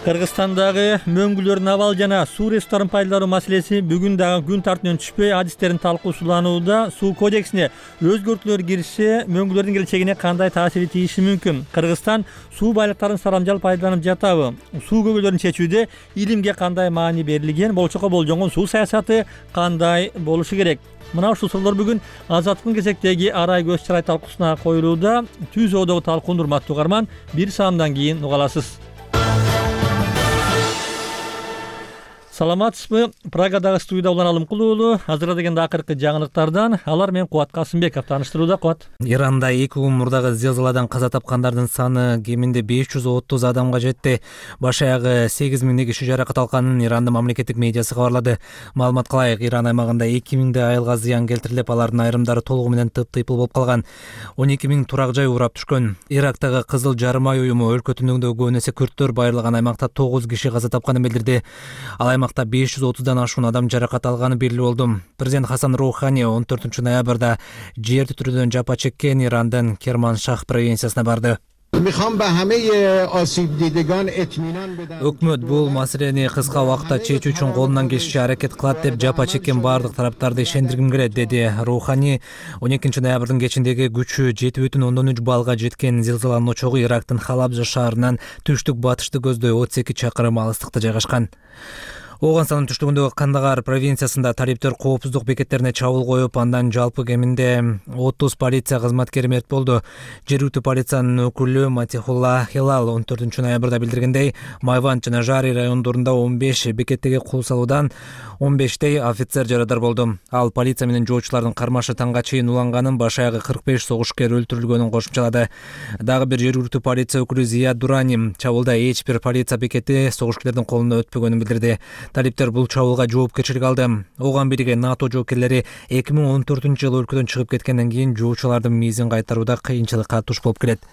Кыргызстандагы мөңгүлөрдүн абал жана суу ресурстарын пайдалануу маселеси бүгүн дагы күн тартибинен түшпөй, адистердин талкуусуланууда. Суу кодексине өзгөртүүлөр кириши мөңгүлөрдүн келечегине кандай таасири тийиши мүмкүн? Кыргызстан суу байлыктарын сарамжал пайдаланып жатабы? Суу көйгөйлөрүн чечүүдө илимге кандай маани берилген? Болчокко болжонгон суу саясаты кандай болушу керек? Мына ушул суроолор бүгүн Азаттыктын кезектеги арай көз чарай талкуусуна коюлууда. Түз оодогу талкууну урматтуу угарман, бир саамдан кийин уга аласыз. Саламатсызбы? Прагадагы студияда Улан Алымкул уулу азырдагы акыркы жаңылыктардан. Алар менен Кубат Касымбеков тааныштырууда. Кубат. Иранда 2 күн мурдагы зилзаладан каза тапкандардын саны кеминде 530 адамга жетти. Баш аягы 8000 киши жаракат алганын Ирандын мамлекеттик медиасы кабарлады. Маалыматка ылайык, Иран аймагында 2000 айылга зыян келтирилип, алардын айрымдары толугу менен тыптыйпыл болуп калган. 12000 турак жай урап түшкөн. Ирактагы Кызыл Жарым ай уюму өлкө түндүгүндө көбүн эсе күрттөр байырлаган аймакта 9 киши каза тапканын билдирди. Ал аймакта 530дан ашуун адам жаракат алганы белгилүү болду. Президент Хасан Роухани 14 ноябрда жер титирөөдөн жапа чеккен Ирандын Керманшах провинциясына барды. Өкмөт бул маселени кыска убакытта чечүү үчүн колунан келишинче аракет кылат деп жапа чеккен бардык тараптарды ишендиргим келет, деди Роухани. 12 ноябрдын кечиндеги күчү 7,3 баллга жеткен зилзаланын очогу Ирактын Халабжа шаарынан түштүк батышты көздөй 32 чакырым алыстыкта жайгашкан. Оганстандын түштүгүндөгү Кандагар провинциясында талиптер коопсуздук бекеттерине чабуул коюп, андан жалпы кеминде 30 полиция кызматкери мерт болду. Жергиликтүү полициянын өкүлү Матихулла Хилал 14 ноябрда билдиргендей, Майванд жана Жари райондорунда 15 бекеттеги кул салуудан 15тей офицер жарадар болду. Ал полиция менен жоочулардын кармашы таңга чейин уланганын, баш аягы 45 согушкер өлтүрүлгөнүн кошумчалады. Дагы бир жергиликтүү полиция өкүлү Зия Дурани чабуулда эч бир полиция бекети согушкерлердин колуна өтпөгөнүн билдирди. Талиптер бул чабуулга жоопкерчилик алды. Оган бирге НАТО жоокерлери 2014-жылы өлкөдөн чыгып кеткенден кийин жоочулардын миизин кайтарууда кыйынчылыкка туш болуп келет.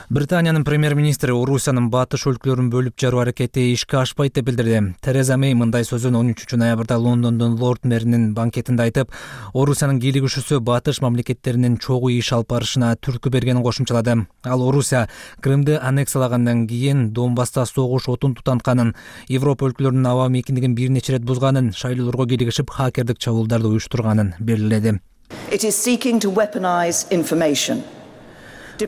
Британиянын премьер-министри Орусиянын батыш өлкөлөрүн бөлүп жаруу аракети ишке ашпайт деп билдирди. Тереза Мэй мындай сөзүн 13 ноябрда Лондондун Лорд мэринин банкетинде айтып, Орусиянын кийлигишүүсү батыш мамлекеттеринин чогуу иш алып барышына түрткү бергенин кошумчалады. Ал Орусия Крымды аннексиялагандан кийин Донбасста согуш отун тутантканын, Европа өлкөлөрүнүн аба мейкиндигин бир нече ирет бузганын, шайлоолорго кийлигишип хакердик чабуулдарды уюштурганын белгиледи.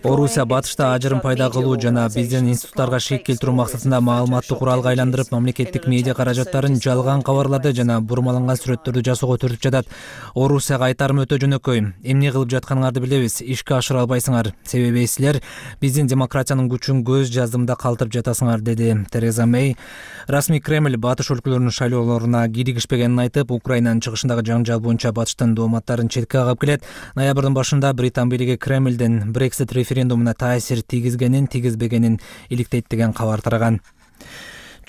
Орусия батышта ажырым пайда кылуу жана биздин институттарга шик келтирүү максатында маалыматтык куралга айландырып, мамлекеттик медиа каражаттарын жалган кабарларды жана бурмаланган сүрөттөрдү жасоого төртүп жатат. Орусияга айтарым өтө жөнөкөй. Эмне кылып жатканыңарды билебиз, ишке ашыра албайсыңар. Себеби силер биздин демократиянын күчүн көз жаздымда калтырып жатасыңар, деди Тереза Мэй. Расмий Кремль батыш өлкөлөрүнүн шайлоолоруна кийлигишпегенин айтып, Украинанын чыгышындагы жаңжал боюнча батыштын дооматтарын четке кагып келет. Ноябрдын башында Британ бийлиги Кремлдин Brexit референдумуна таасир тийгизгенин, тийгизбегенин иликтейт деген кабар тараган.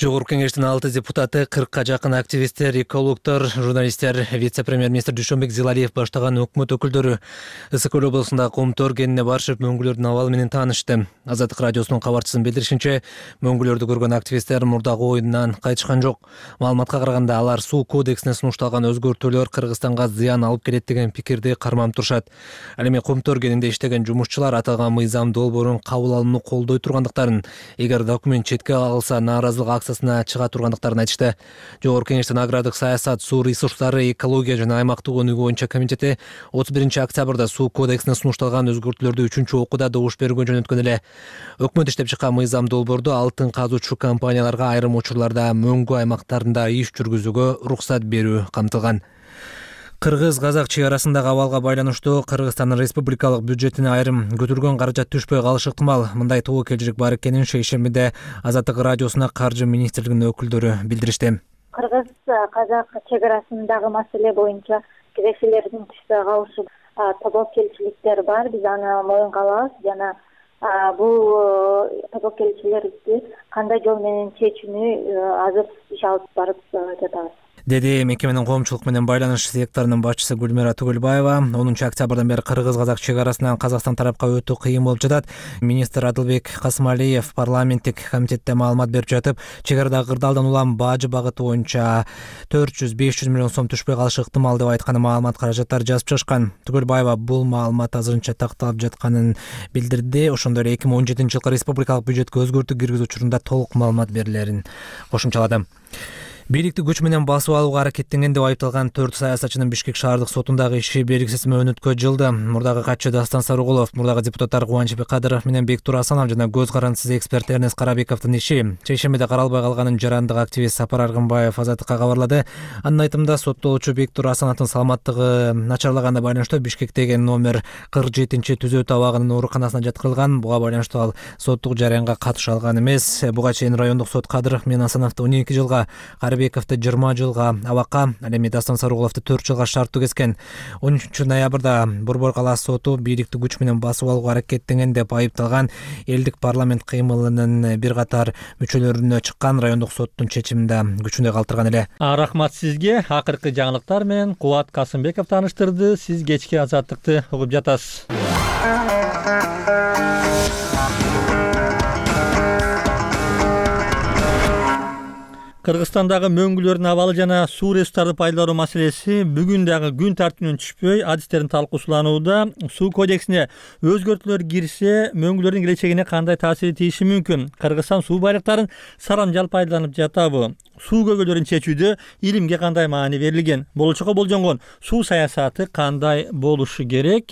Жогорку кеңештин 6 депутаты, 40ка жакын активисттер, экологдор, журналисттер, вице-премьер-министр Дүйшөнбек Зилалиев баштаган өкмөт өкүлдөрү Ысык көл облусунда Комтор кенине барышып, мөңгүлөрдүн абалы менен таанышты. Азаттык радиосунун кабарчысынын билдиришинче, мөңгүлөрдү көргөн активисттер мурдагы оюндан кайтышкан жок. Маалыматка караганда, алар суу кодексине сунушталган өзгөртүүлөр Кыргызстанга зыян алып келет деген пикирди карманып турушат. Ал эми Комтор кенинде иштеген жумушчулар аталган мыйзам долбоорун кабыл алууну колдой тургандыктарын, эгер документ четке кагылса нааразылык акциясына чыга тургандыктарын айтышты. Жогорку кеңештин агрардык саясат, суу ресурстары, экология жана аймактык өнүгүү боюнча комитети 31-октябрда суу кодексине сунушталган өзгөртүүлөрдү 3-окууда добуш бергөн жөнөткөн эле. Өкмөт иштеп чыккан мыйзам долбоордо алтын казуучу компанияларга айрым учурларда мөңгү аймактарында иш жүргүзүүгө уруксат берүү камтылган. Кыргыз-казак чек арасындагы абалга байланыштуу Кыргызстандын республикалык бюджетине айрым көтөргөн каражат түшпөй калышы ыктымал. Мындай тобокелчилик бар экенин шейшембиде Азаттык радиосуна Каржы министрлигинин өкүлдөрү билдиришти. Кыргыз-казак чек арасындагы маселе боюнча кирешелердин түшпөй калышы тобокелчиликтер бар. Биз аны моюнга алабыз жана бул тобокелчилерди кандай жол менен чечүүнү азыр иш алып барып жатабыз, деди мекеменин коомчулук менен байланыш секторунун башчысы Гүлмира Түгөлбаева. 10 октябрдан бери Кыргыз-казак чек арасынан Казакстан тарапка өтүү кыйын болуп жатат. Министр Адылбек Касымалиев парламенттик комитетте маалымат берип жатып, чек арадагы кырдаалдан улам бажы багыты боюнча 400-500 миллион сом түшпөй калышы ыктымал деп айтканы маалымат каражаттары жазып чыгышкан. Түгөлбаева бул маалымат азырынча такталып жатканын билдирди. Ошондой эле 2017-жылкы республикалык бюджетке өзгөртүү киргизүү учурунда толук маалымат берилерин кошумчалады. Бийликти күч менен басып алууга аракеттенген деп айыпталган 4 саясатчынын Бишкек шаардык сотундагы иши белгисиз мөөнөткө жылды. Мурдагы катчы Дастан Сарыгулов, мурдагы депутаттар Кубанычбек Кадыров менен Бектур Асанов жана көз карандысыз эксперт Эрнест Карабековдун иши шейшембиде каралбай калганын жарандык активист Сапар Аргынбаев Азаттыкка кабарлады. Анын айтымында соттолуучу Бектур Асановдун саламаттыгы начарлаганына байланыштуу Бишкектеги номер 47 түзөө табагынын ооруканасына жаткырылган. Буга байланыштуу ал соттук жараянга катыша алган эмес. Буга чейин райондук сот Кадыров менен Асановду 12 жылга, Карабековду 20 жылга абакка, ал эми Дастан Сарыгуловду 4 жылга шарттуу кескен. 13 ноябрда Борбор калаасы соту бийликти күч менен басып алууга аракеттенген деп айыпталган элдик парламент кыймылынын бир катар мүчөлөрүнө чыккан райондук соттун чечиминде күчүндө калтырган эле. Рахмат сизге. Акыркы жаңылыктар менен Кубат Касымбеков тааныштырды. Сиз кечки Азаттыкты угуп жатасыз. Кыргызстандагы мөңгүлөрдүн абалы жана суу ресурстарды пайдалануу маселеси бүгүн дагы күн тартибинен түшпөй адистердин талкуусуланууда. Суу кодексине өзгөртүүлөр кирсе, мөңгүлөрдүн келечегине кандай таасири тийиши мүмкүн? Кыргызстан суу байлыктарын сарамжал пайдаланып жатабы? Суу көйгөйлөрүн чечүүдө илимге кандай маани берилген? Болочокко болжонгон суу саясаты кандай болушу керек?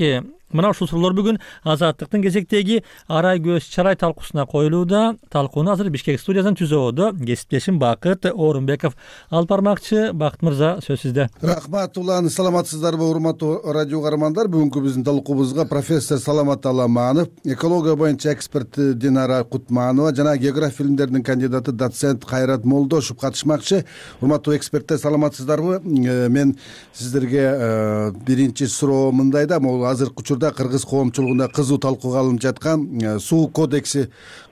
Мына ушул суроолор бүгүн Азаттыктын кезектеги Арай көз чарай талкуусуна коюлууда. Талкууну азыр Бишкек студиясынан түзүүдө кесиптешим Бакыт Орунбеков алып бармакчы. Бакыт мырза, сөз сизде. Рахмат улан, саламатсыздарбы урматтуу радио каармандар? Бүгүнкү биздин талкуубузга профессор Саламат Аламанов, экология боюнча эксперт Динара Кутманова жана география илимдеринин кандидаты доцент Кайрат Молдошев катышмакчы. Урматтуу эксперттер, саламатсыздарбы? Мен сиздерге биринчи суроо мындай да, могул азыркы учурда кыргыз коомчулугунда кызуу талкууга алынып жаткан суу кодекси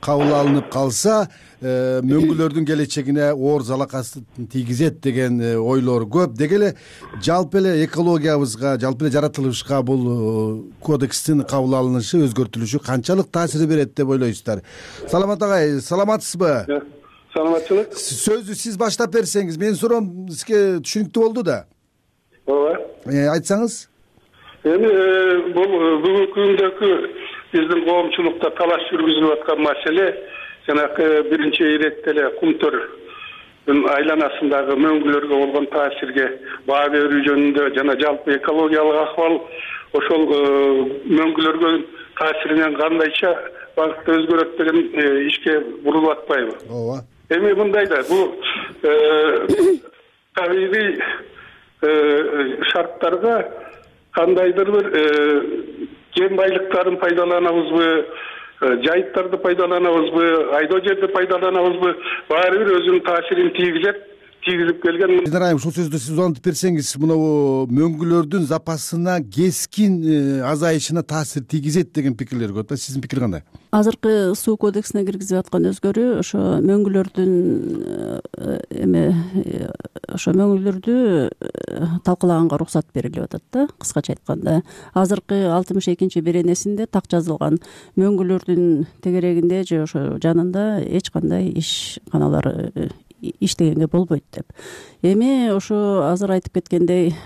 кабыл алынып калса, мөңгүлөрдүн келечегине оор залакасын тийгизет деген ойлор көп. Деги эле жалпы эле экологиябызга, жалпы эле жаратылышка бул кодекстин кабыл алынышы, өзгөртүлүшү канчалык таасир берет деп ойлойсуздар? Саламат агай, саламатсызбы? Саламатчылык. Сөздү сиз баштап берсеңиз, менин суроом сизге түшүнүктүү болду да. Ооба. Айтсаңыз. Эми бул бүгүнкү күндөгү биздин коомчулукта талаш жүргүзүлүп аткан маселе жанакы биринчи иретте эле кумтөрдүн айланасындагы мөңгүлөргө болгон таасирге баа берүү жөнүндө жана жалпы экологиялык акыбал ошол мөңгүлөргө таасиринен кандайча багытта өзгөрөт деген ишке бурулуп атпайбы? Ооба. Эми мындай да, бул табигый шарттарга кандайдыр бир кен байлыктарын пайдаланабызбы, жайыттарды пайдаланабызбы, айдоо жерди пайдаланабызбы, баары бир өзүнүн таасирин тийгизип келген. Айым, ушул сөздү сиз улантып берсеңиз, мына мөңгүлөрдүн запасына кескин азайышына таасир тийгизет деген пикирлер көп. Сиздин пикир кандай? Азыркы суу кодексине киргизип аткан өзгөрүү ошо мөңгүлөрдүн ошо мөңгүлөрдү талкалаганга уруксат берилип атат да, кыскача айтканда. Азыркы 62 беренесинде так жазылган мөңгүлөрдүн тегерегинде же ошо жанында эч кандай ишканалар иштегенге болбойт деп. Эми ошо азыр айтып кеткендей,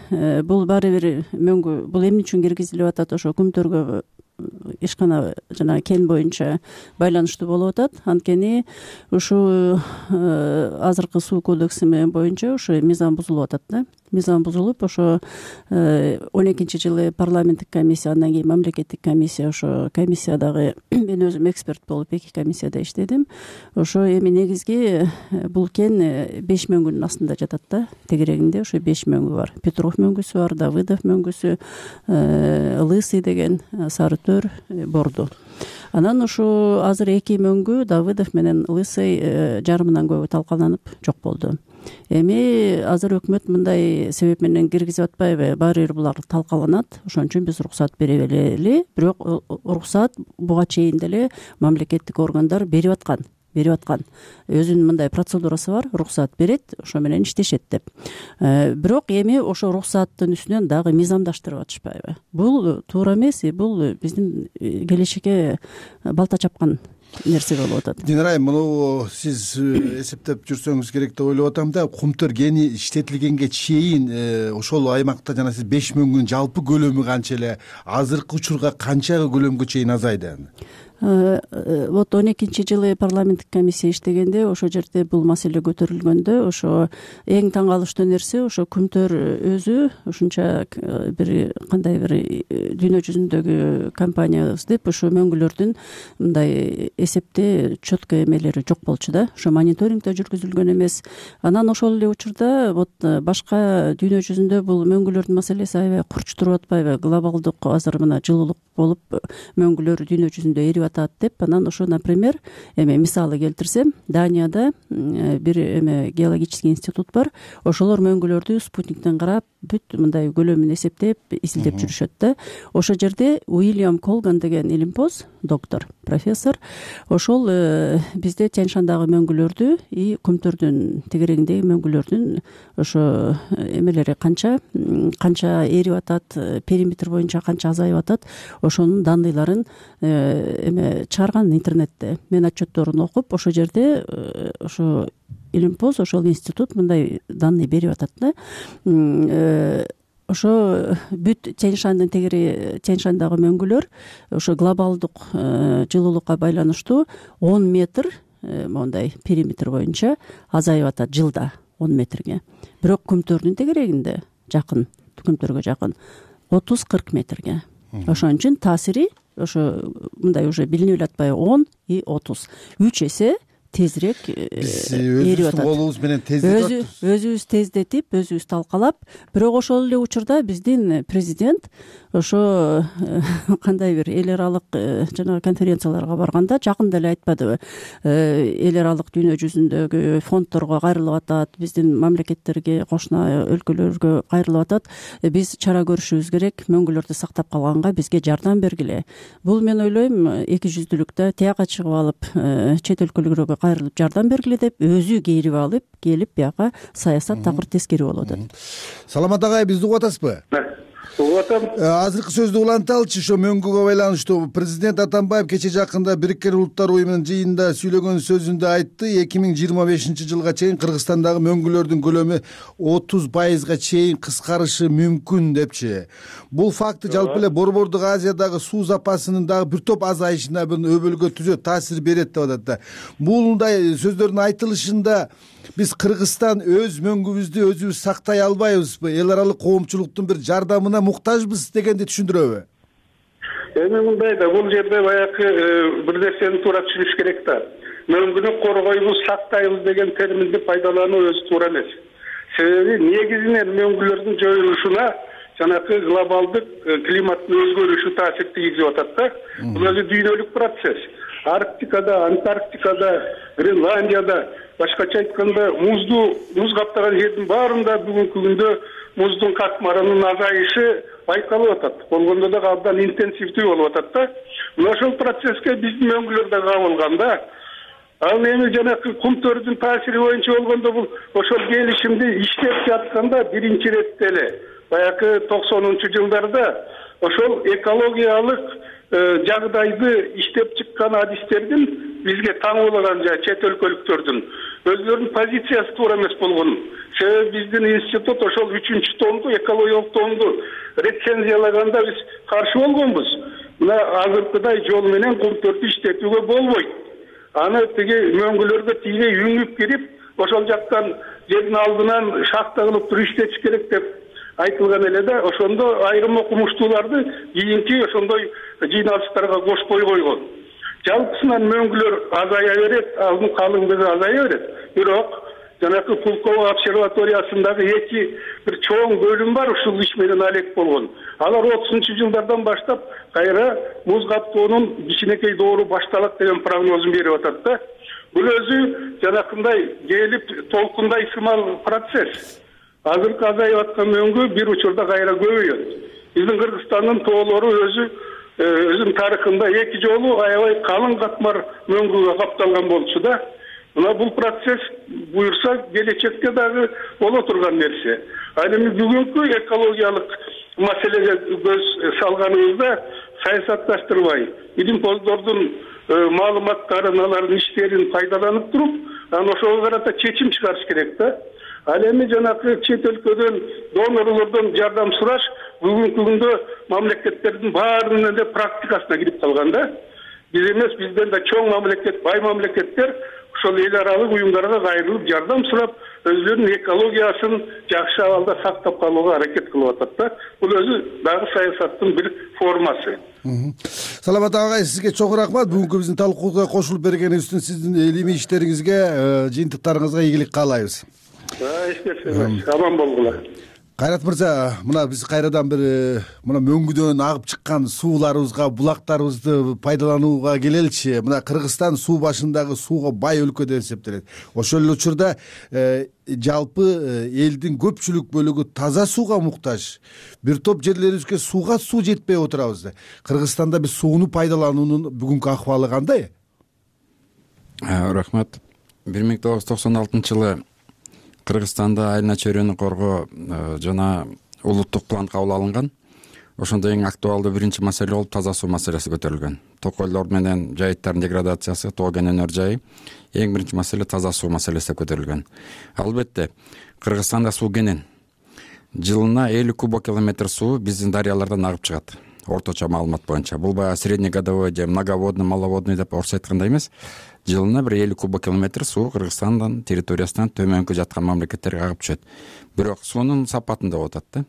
бул баары бир мөңгү, бул эмне үчүн киргизилип атат? Ошо күмтөргө ишкана жана кен боюнча байланыштуу болуп атат. Анткени ушул азыркы суу кодекси боюнча ошо мыйзам бузулуп атат да. мыйзам бузулуп, ошо 12-жылы парламенттик комиссия, андан кийин мамлекеттик комиссия, ошо комиссиядагы мен өзүм эксперт болуп 2 комиссияда иштедим. Ошо эми негизги бул кен 5 мөңгүнүн астында жатат да, тегерегинде ошо 5 мөңгү бар. Петров мөңгүсү бар, Давыдов мөңгүсү, Лысый деген, Сарытөр, Борду. Анан ушу азыр 2 мөңгү Давыдов менен Лысый жарымынан көбү талкаланып жок болду. Эми азыр өкмөт мындай себеп менен киргизип атпайбы? Баары бир булар талкаланат, ошон үчүн биз уруксат бере берели. Бирок уруксат буга чейин деле мамлекеттик органдар берип аткан. Өзүнүн мындай процедурасы бар, уруксат берет, ошо менен иштешет деп. Бирок эми ошо уруксаттын үстүнөн дагы мыйзамдаштырып атышпайбы? Бул туура эмес, бул биздин келечекке балта чапкан нерсе болуп атат. Динара айым, муну сиз эсептеп жүрсөңүз керек деп ойлоп атам да, кумтөр кени иштетилгенге чейин ошол аймакта жана сиз 5 мөңгүнүн жалпы көлөмү канча эле, азыркы учурга канча көлөмгө чейин азайды? Вот 12-жылы парламенттик комиссия иштегенде ошо жерде бул маселе көтөрүлгөндө, ошо эң таң калыштуу нерсе ошо күмтөр өзү ушунча бир кандай бир дүйнө жүзүндөгү компаниябыз деп ошо мөңгүлөрдүн мындай эсепте четко эмелери жок болчу да, ошо мониторинг да жүргүзүлгөн эмес. Анан ошол эле учурда вот башка дүйнө жүзүндө бул мөңгүлөрдүн маселеси аябай курч туруп атпайбы? Глобалдык азыр мына жылуулук болуп мөңгүлөр дүйнө жүзүндө эрип деп. Анан ошо, например, мисалы келтирсем, Данияда бир геологический институт бар. Ошолор мөңгүлөрдү спутниктен карап, бүт мындай көлөмүн эсептеп, изилдеп жүрүшөт да. Ошо жерде Уильям Колган деген илимпоз, доктор, профессор, ошол бизде Тянь-Шандагы мөңгүлөрдү и Күмтөрдүн тегерегиндеги мөңгүлөрдүн ошо эмелери канча эрип атат, периметр боюнча канча азайып атат, ошонун данныйларын чыгарган интернетте. Мен отчетторун окуп, ошо жерде ошо илимпоз, ошол институт мындай данный берип атат да. Ошо бүт Тянь-Шандагы мөңгүлөр ошо глобалдык жылуулукка байланыштуу 10 метр мондай периметр боюнча азайып атат жылда 10 метрге. Бирок Күмтөрдүн тегерегинде жакын, Күмтөргө жакын 30-40 метрге. Ошон үчүн таасири ошо мындай уже билинип эле атпайбы? 10 и 30. 3 эсе тезирээк эрип атат. Колубуз менен тездетип атат. Өзүбүз тездетип, өзүбүз талкалап, бирок ошол эле учурда биздин президент ошо кандай бир эл аралык жана конференцияларга барганда жакында эле айтпадыбы? Эл аралык дүйнө жүзүндөгү фонддорго кайрылып атат, биздин мамлекеттерге, кошуна өлкөлөргө кайрылып атат. Биз чара көрүшүбүз керек, мөңгүлөрдү сактап калганга бизге жардам бергиле. Бул мен ойлойм, эки жүздүүлүктө тияка чыгып алып, чет өлкөлөргө кайрылып жардам бергиле деп өзү кейирип алып келип бияка саясат такыр тескери болуп атат. Саламат агай, бизди угуп атасызбы? Угуп атам. Азыркы сөздү уланталычы, ошо мөңгүгө байланыштуу. Президент Атамбаев кече жакында Бириккен Улуттар уюмунун жыйынында сүйлөгөн сөзүндө айтты, 2025-жылга чейин Кыргызстандагы мөңгүлөрдүн көлөмү 30% чейин кыскарышы мүмкүн депчи. Бул факты жалпы эле Борбордук Азиядагы суу запасынын дагы бир топ азайышына бир өбөлгө түзөт, таасир берет деп атат да. Булундай сөздөрдүн айтылышында биз Кыргызстан өз мөңгүбүздү өзүбүз сактай албайбызбы? Эл аралык коомчулуктун бир жардамына муктажбыз дегенди түшүндүрөбү? Эми мындай да, бул жерде баягы бир нерсени туура түшүнүш керек да. Мөңгүнү коргойбуз, сактайбыз деген терминди пайдалануу өзү туура эмес. Себеби негизинен мөңгүлөрдүн жоюлушуна жанакы глобалдык климаттын өзгөрүшү таасир тийгизип атат да. Бул өзү дүйнөлүк процесс. Арктикада, Антарктикада, Гренландияда, башкача айтканда, муз каптаган жердин баарында бүгүнкү күндө муздун катмарынын азайышы байкалып атат. Болгондо да абдан интенсивдүү болуп атат да. Мына ошол процесске биздин мөңгүлөр да кабылган да. Ал эми жанакы Күмтөрдүн таасири боюнча болгондо бул ошол келишимди иштеп жатканда биринчи иретте эле баягы 90-жылдарда ошол экологиялык жагдайды иштеп чыккан адистердин бизге таңуулаган чет өлкөлүктөрдүн өзлөрүнүн позициясы туура эмес болгон. Себеби биздин институт ошол 3-томду, экологиялык томду рецензиялаганда биз каршы болгонбуз. Мына азыркыдай жол менен Күмтөрдү иштетүүгө болбойт. Аны тиги мөңгүлөргө тийбей үңүп кирип, ошол жактан жердин алдынан шахта кылып туруп иштетиш керек деп айтылган эле да, ошондо айрым окумуштууларды кийинки ошондой жыйналыштарга кошпой койгон. Жалпысынан мөңгүлөр азая берет, алдын калыңдыгы азая берет. Бирок жанакы Пулково обсерваториясындагы бир чоң бөлүм бар, ушул иш менен алек болгон. Алар 30-жылдардан баштап кайра муз каптоонун кичинекей доору башталат деген прогнозун берип атат да. Бул өзү жанакындай келип толкундай сымал процесс. Азыркы азайып аткан мөңгү бир учурда кайра көбөйөт. Биздин Кыргызстандын тоолору өзүнүн тарыхында 2 жолу аябай калың катмар мөңгүгө капталган болчу да. Мына бул процесс буюрса келечекте дагы боло турган нерсе. Ал эми бүгүнкү экологиялык маселеге көз салганыбызда саясатташтырбай, илимпоздордун маалыматтарын, алардын иштерин пайдаланып туруп, анан ошого карата чечим чыгарыш керек да. Ал эми жанакы чет өлкөдөн донорлордон жардам сураш бүгүнкү күндө мамлекеттердин баарынын эле практикасына кирип калган да. Биз эмес, бизден да чоң мамлекет, бай мамлекеттер ошол эл аралык уюмдарга кайрылып жардам сурап, өзүлөрүнүн экологиясын жакшы абалда сактап калууга аракет кылып атат да. Бул өзү дагы саясаттын бир формасы. Саламат агай, сизге чоң рахмат. Бүгүнкү биздин талкууга кошулуп бергениңиз үчүн сиздин илимий иштериңизге, жыйынтыктарыңызга ийгилик каалайбыз. Эч нерсе эмес, аман болгула. Кайрат мырза, мына биз кайрадан бир мына мөңгүдөн агып чыккан сууларыбызга, булактарыбызды пайдаланууга келеличи. Мына Кыргызстан суу башындагы сууга бай өлкө деп эсептелет. Ошол эле учурда жалпы элдин көпчүлүк бөлүгү таза сууга муктаж. Бир топ жерлерибизге сууга суу жетпей отурабыз. Кыргызстанда биз сууну пайдалануунун бүгүнкү акыбалы кандай? Рахмат. 1996-жылы Кыргызстанда айылына чөйрөнү коргоо жана улуттук план кабыл алынган. Ошондо эң актуалдуу биринчи маселе болуп таза суу маселеси көтөрүлгөн. Токойлор менен жайыттардын деградациясы, тоо кен өнөр жайы эң биринчи маселе таза суу маселеси көтөрүлгөн. Албетте, Кыргызстанда суу кенен. Жылына 50 кубокилометр суу биздин дарыялардан агып чыгат. Орточо маалымат боюнча. Бул баягы среднегодовой же многоводный, маловодный деп орусча айткандай эмес. Жылына бир 50 кубокилометр суу Кыргызстандын территориясынан төмөнкү жаткан мамлекеттерге агып түшөт. Бирок суунун сапатында болуп атат да.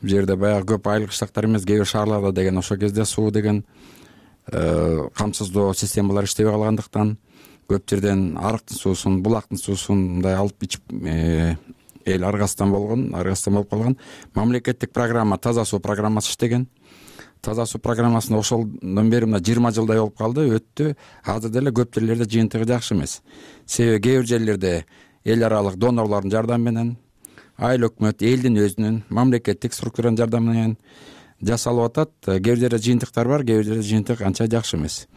Бул жерде баягы көп айыл кыштактар эмес, кээ бир шаарларда деген ошол кезде суу деген камсыздоо системалары иштебей калгандыктан көп жерден арыктын суусун, булактын суусун мындай алып ичип эл аргасыздан болуп калган. Мамлекеттик программа таза суу программасы иштеген. Таза суу программасында ошолдон бери мына 20 жылдай болуп калды, өттү. Азыр деле көп жерлерде жыйынтыгы жакшы эмес. Себеби кээ бир жерлерде эл аралык донорлордун жардамы менен, айыл өкмөт, элдин өзүнүн мамлекеттик структуранын жардамы менен жасалып атат. Кээ бир жерде жыйынтыктар бар, кээ бир жерде жыйынтык анча жакшы эмес.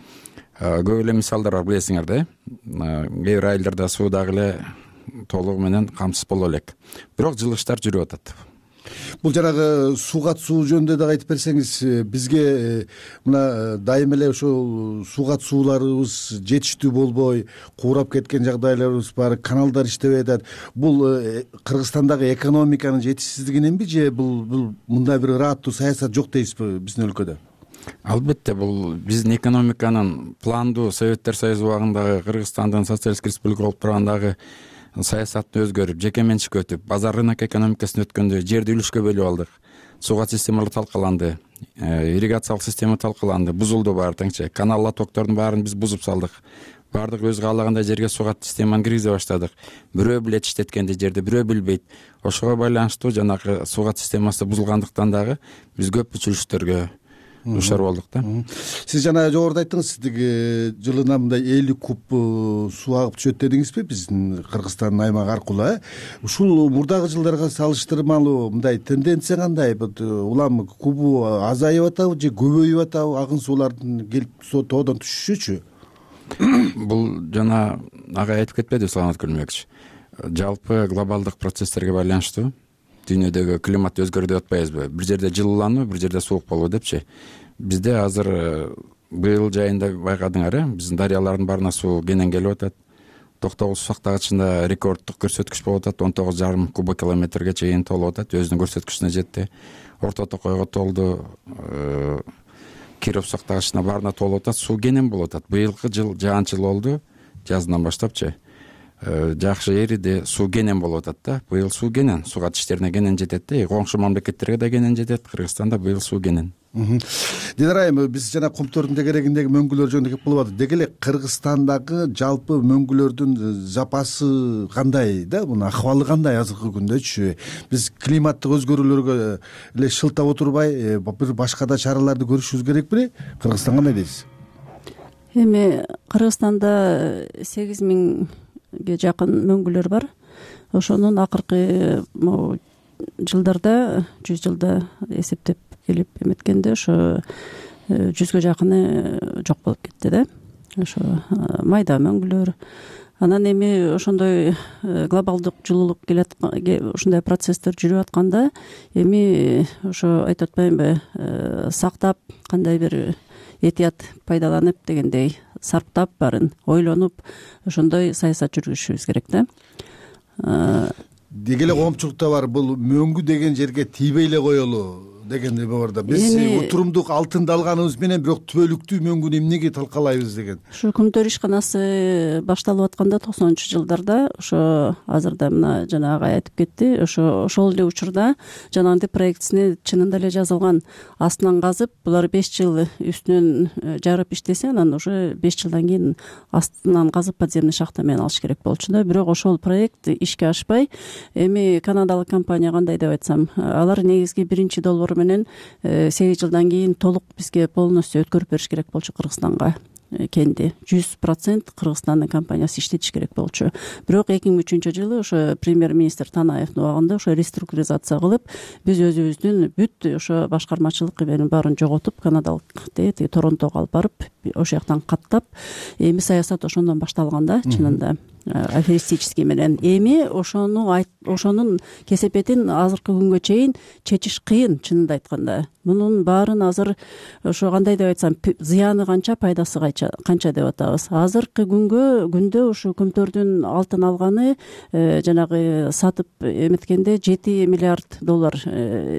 Көп эле мисалдар бар, билесиңер да. Кээ бир айылдарда суу дагы эле толугу менен камсыз боло элек. Бирок жылыштар жүрүп атат. Бул жанагы сууга суу жөнүндө дагы айтып берсеңиз, бизге мына дайым эле ошол сууга сууларыбыз жетиштүү болбой, куурап кеткен жагдайларыбыз бар, каналдар иштебей атат. Бул Кыргызстандагы экономиканын жетишсиздигиненби же бул мындай бир ырааттуу саясат жок дейсизби биздин өлкөдө? Албетте, бул биздин экономиканын пландуу Советтер Союзу убагындагы Кыргызстандын социалисттик республика болуп тургандагы саясатын өзгөрүп, жеке менчикке өтүп, базар рынок экономикасын өткөндө жерди үлүшкө бөлүп алдык. Сууга системалар талкаланды, ирригациялык система талкаланды, бузулду баары теңче. Канал лотоктордун баарын биз бузуп салдык. Баардык өз каалагандай жерге сууга системаны киргизе баштадык. Бирөө билет иштеткенди жерди, бирөө билбейт. Ошого байланыштуу жанагы сууга системасы бузулгандыктан дагы биз көп бүчүлүштөргө душар болдук да. Сиз жана жогоруда айттыңыз, сиздиги жылына мындай 50 куб суу агып түшөт дедиңизби биздин Кыргызстандын аймагы аркылуу? Ушул мурдагы жылдарга салыштырмалуу мындай тенденция кандай? Улам кубу азайып атабы же көбөйүп атабы? Агын суулардын келип тоодон түшүшүчү? Бул жана агай айтып кетпеди Саламат Күлмөкович. Жалпы глобалдык процесстерге байланыштуу дүйнөдөгү климат өзгөрдү деп атпайбызбы? Бир жерде жылуулануу, бир жерде суук болуу депчи. Бизде азыр быйыл жайында байкадыңар, биздин дарыялардын баарына суу кенен келип атат. Токтогул суу сактагычында рекорддук көрсөткүч болуп атат, 19,5 кубокилометрге чейин толуп атат, өзүнүн көрсөткүчүнө жетти. Орто Токойго толду, Киров сактагычына баарына толуп атат, суу кенен болуп атат. Быйылкы жыл жаан жыл болду, жазынан баштапчы. жакшы эриди, суу кенен болуп атат да. Быйыл суу кенен, сууга иштерине кенен жетет да. Коңшу мамлекеттерге да кенен жетет. Кыргызстанда быйыл суу кенен. Динара айым, биз жана Кумтөрдүн тегерегиндеги мөңгүлөр жөнүндө кеп кылып атат. Деги эле Кыргызстандагы жалпы мөңгүлөрдүн запасы кандай да? Мунун акыбалы кандай азыркы күндөчү? Биз климаттык өзгөрүүлөргө эле шылтап отурбай, бир башка да чараларды көрүшүбүз керек беле? Кыргызстан кандай дейсиз? Эми Кыргызстанда 8000ге жакын мөңгүлөр бар. Ошонун акыркы жылдарда 100 жылда эсептеп келип эметкенде ошо 100гө жакыны жок болуп кетти да. Ошо майда мөңгүлөр. Анан эми ошондой глобалдык жылуулук ушундай процесстер жүрүп атканда эми ошо айтып атпаймынбы, сактап, кандай бир этият пайдаланып дегендей сарптап баарын ойлонуп ошондой саясат жүргүзүшүбүз керек да. Деги эле коомчулукта бар, бул мөңгү деген жерге тийбей эле коелу дегендей бар да. Биз отурумдук алтынды алганыбыз менен бирок түбөлүктүү мөңгүнү эмнеге талкалайбыз деген. Ушу Күмтөр ишканасы башталып атканда 90-жылдарда, ошо азырда мына жана агай айтып кетти, ошол эле учурда жанагындай проектисине чынында эле жазылган. Астынан казып, булар 5 жыл үстүнөн жарып иштесе, анан уже 5 жылдан кийин астынан казып подземный шахта менен алыш керек болчу да. Бирок ошол проект ишке ашпай, эми канадалык компания кандай деп айтсам, алар негизги биринчи долбоор менен 8 жылдан кийин толук бизге полностью өткөрүп бериш керек болчу Кыргызстанга. Кенди 100% Кыргызстандын компаниясы иштетиш керек болчу. Бирок 2003-жылы ошо премьер-министр Танаевдин убагында ошо реструктуризация кылып, биз өзүбүздүн бүт ошо башкармачылык эменин баарын жоготуп, канадалык тиги Торонтого алып барып, ошол жактан каттап, эми саясат ошондон башталган да, чынында. Аферистический менен. Эми ошонун кесепетин азыркы күнгө чейин чечиш кыйын, чынында айтканда. Мунун баарын азыр ошо кандай деп айтсам, зыяны канча, пайдасы канча деп атабыз. Азыркы күндө ушу Күмтөрдүн алтын алганы жанагы сатып эметкенде $7 миллиард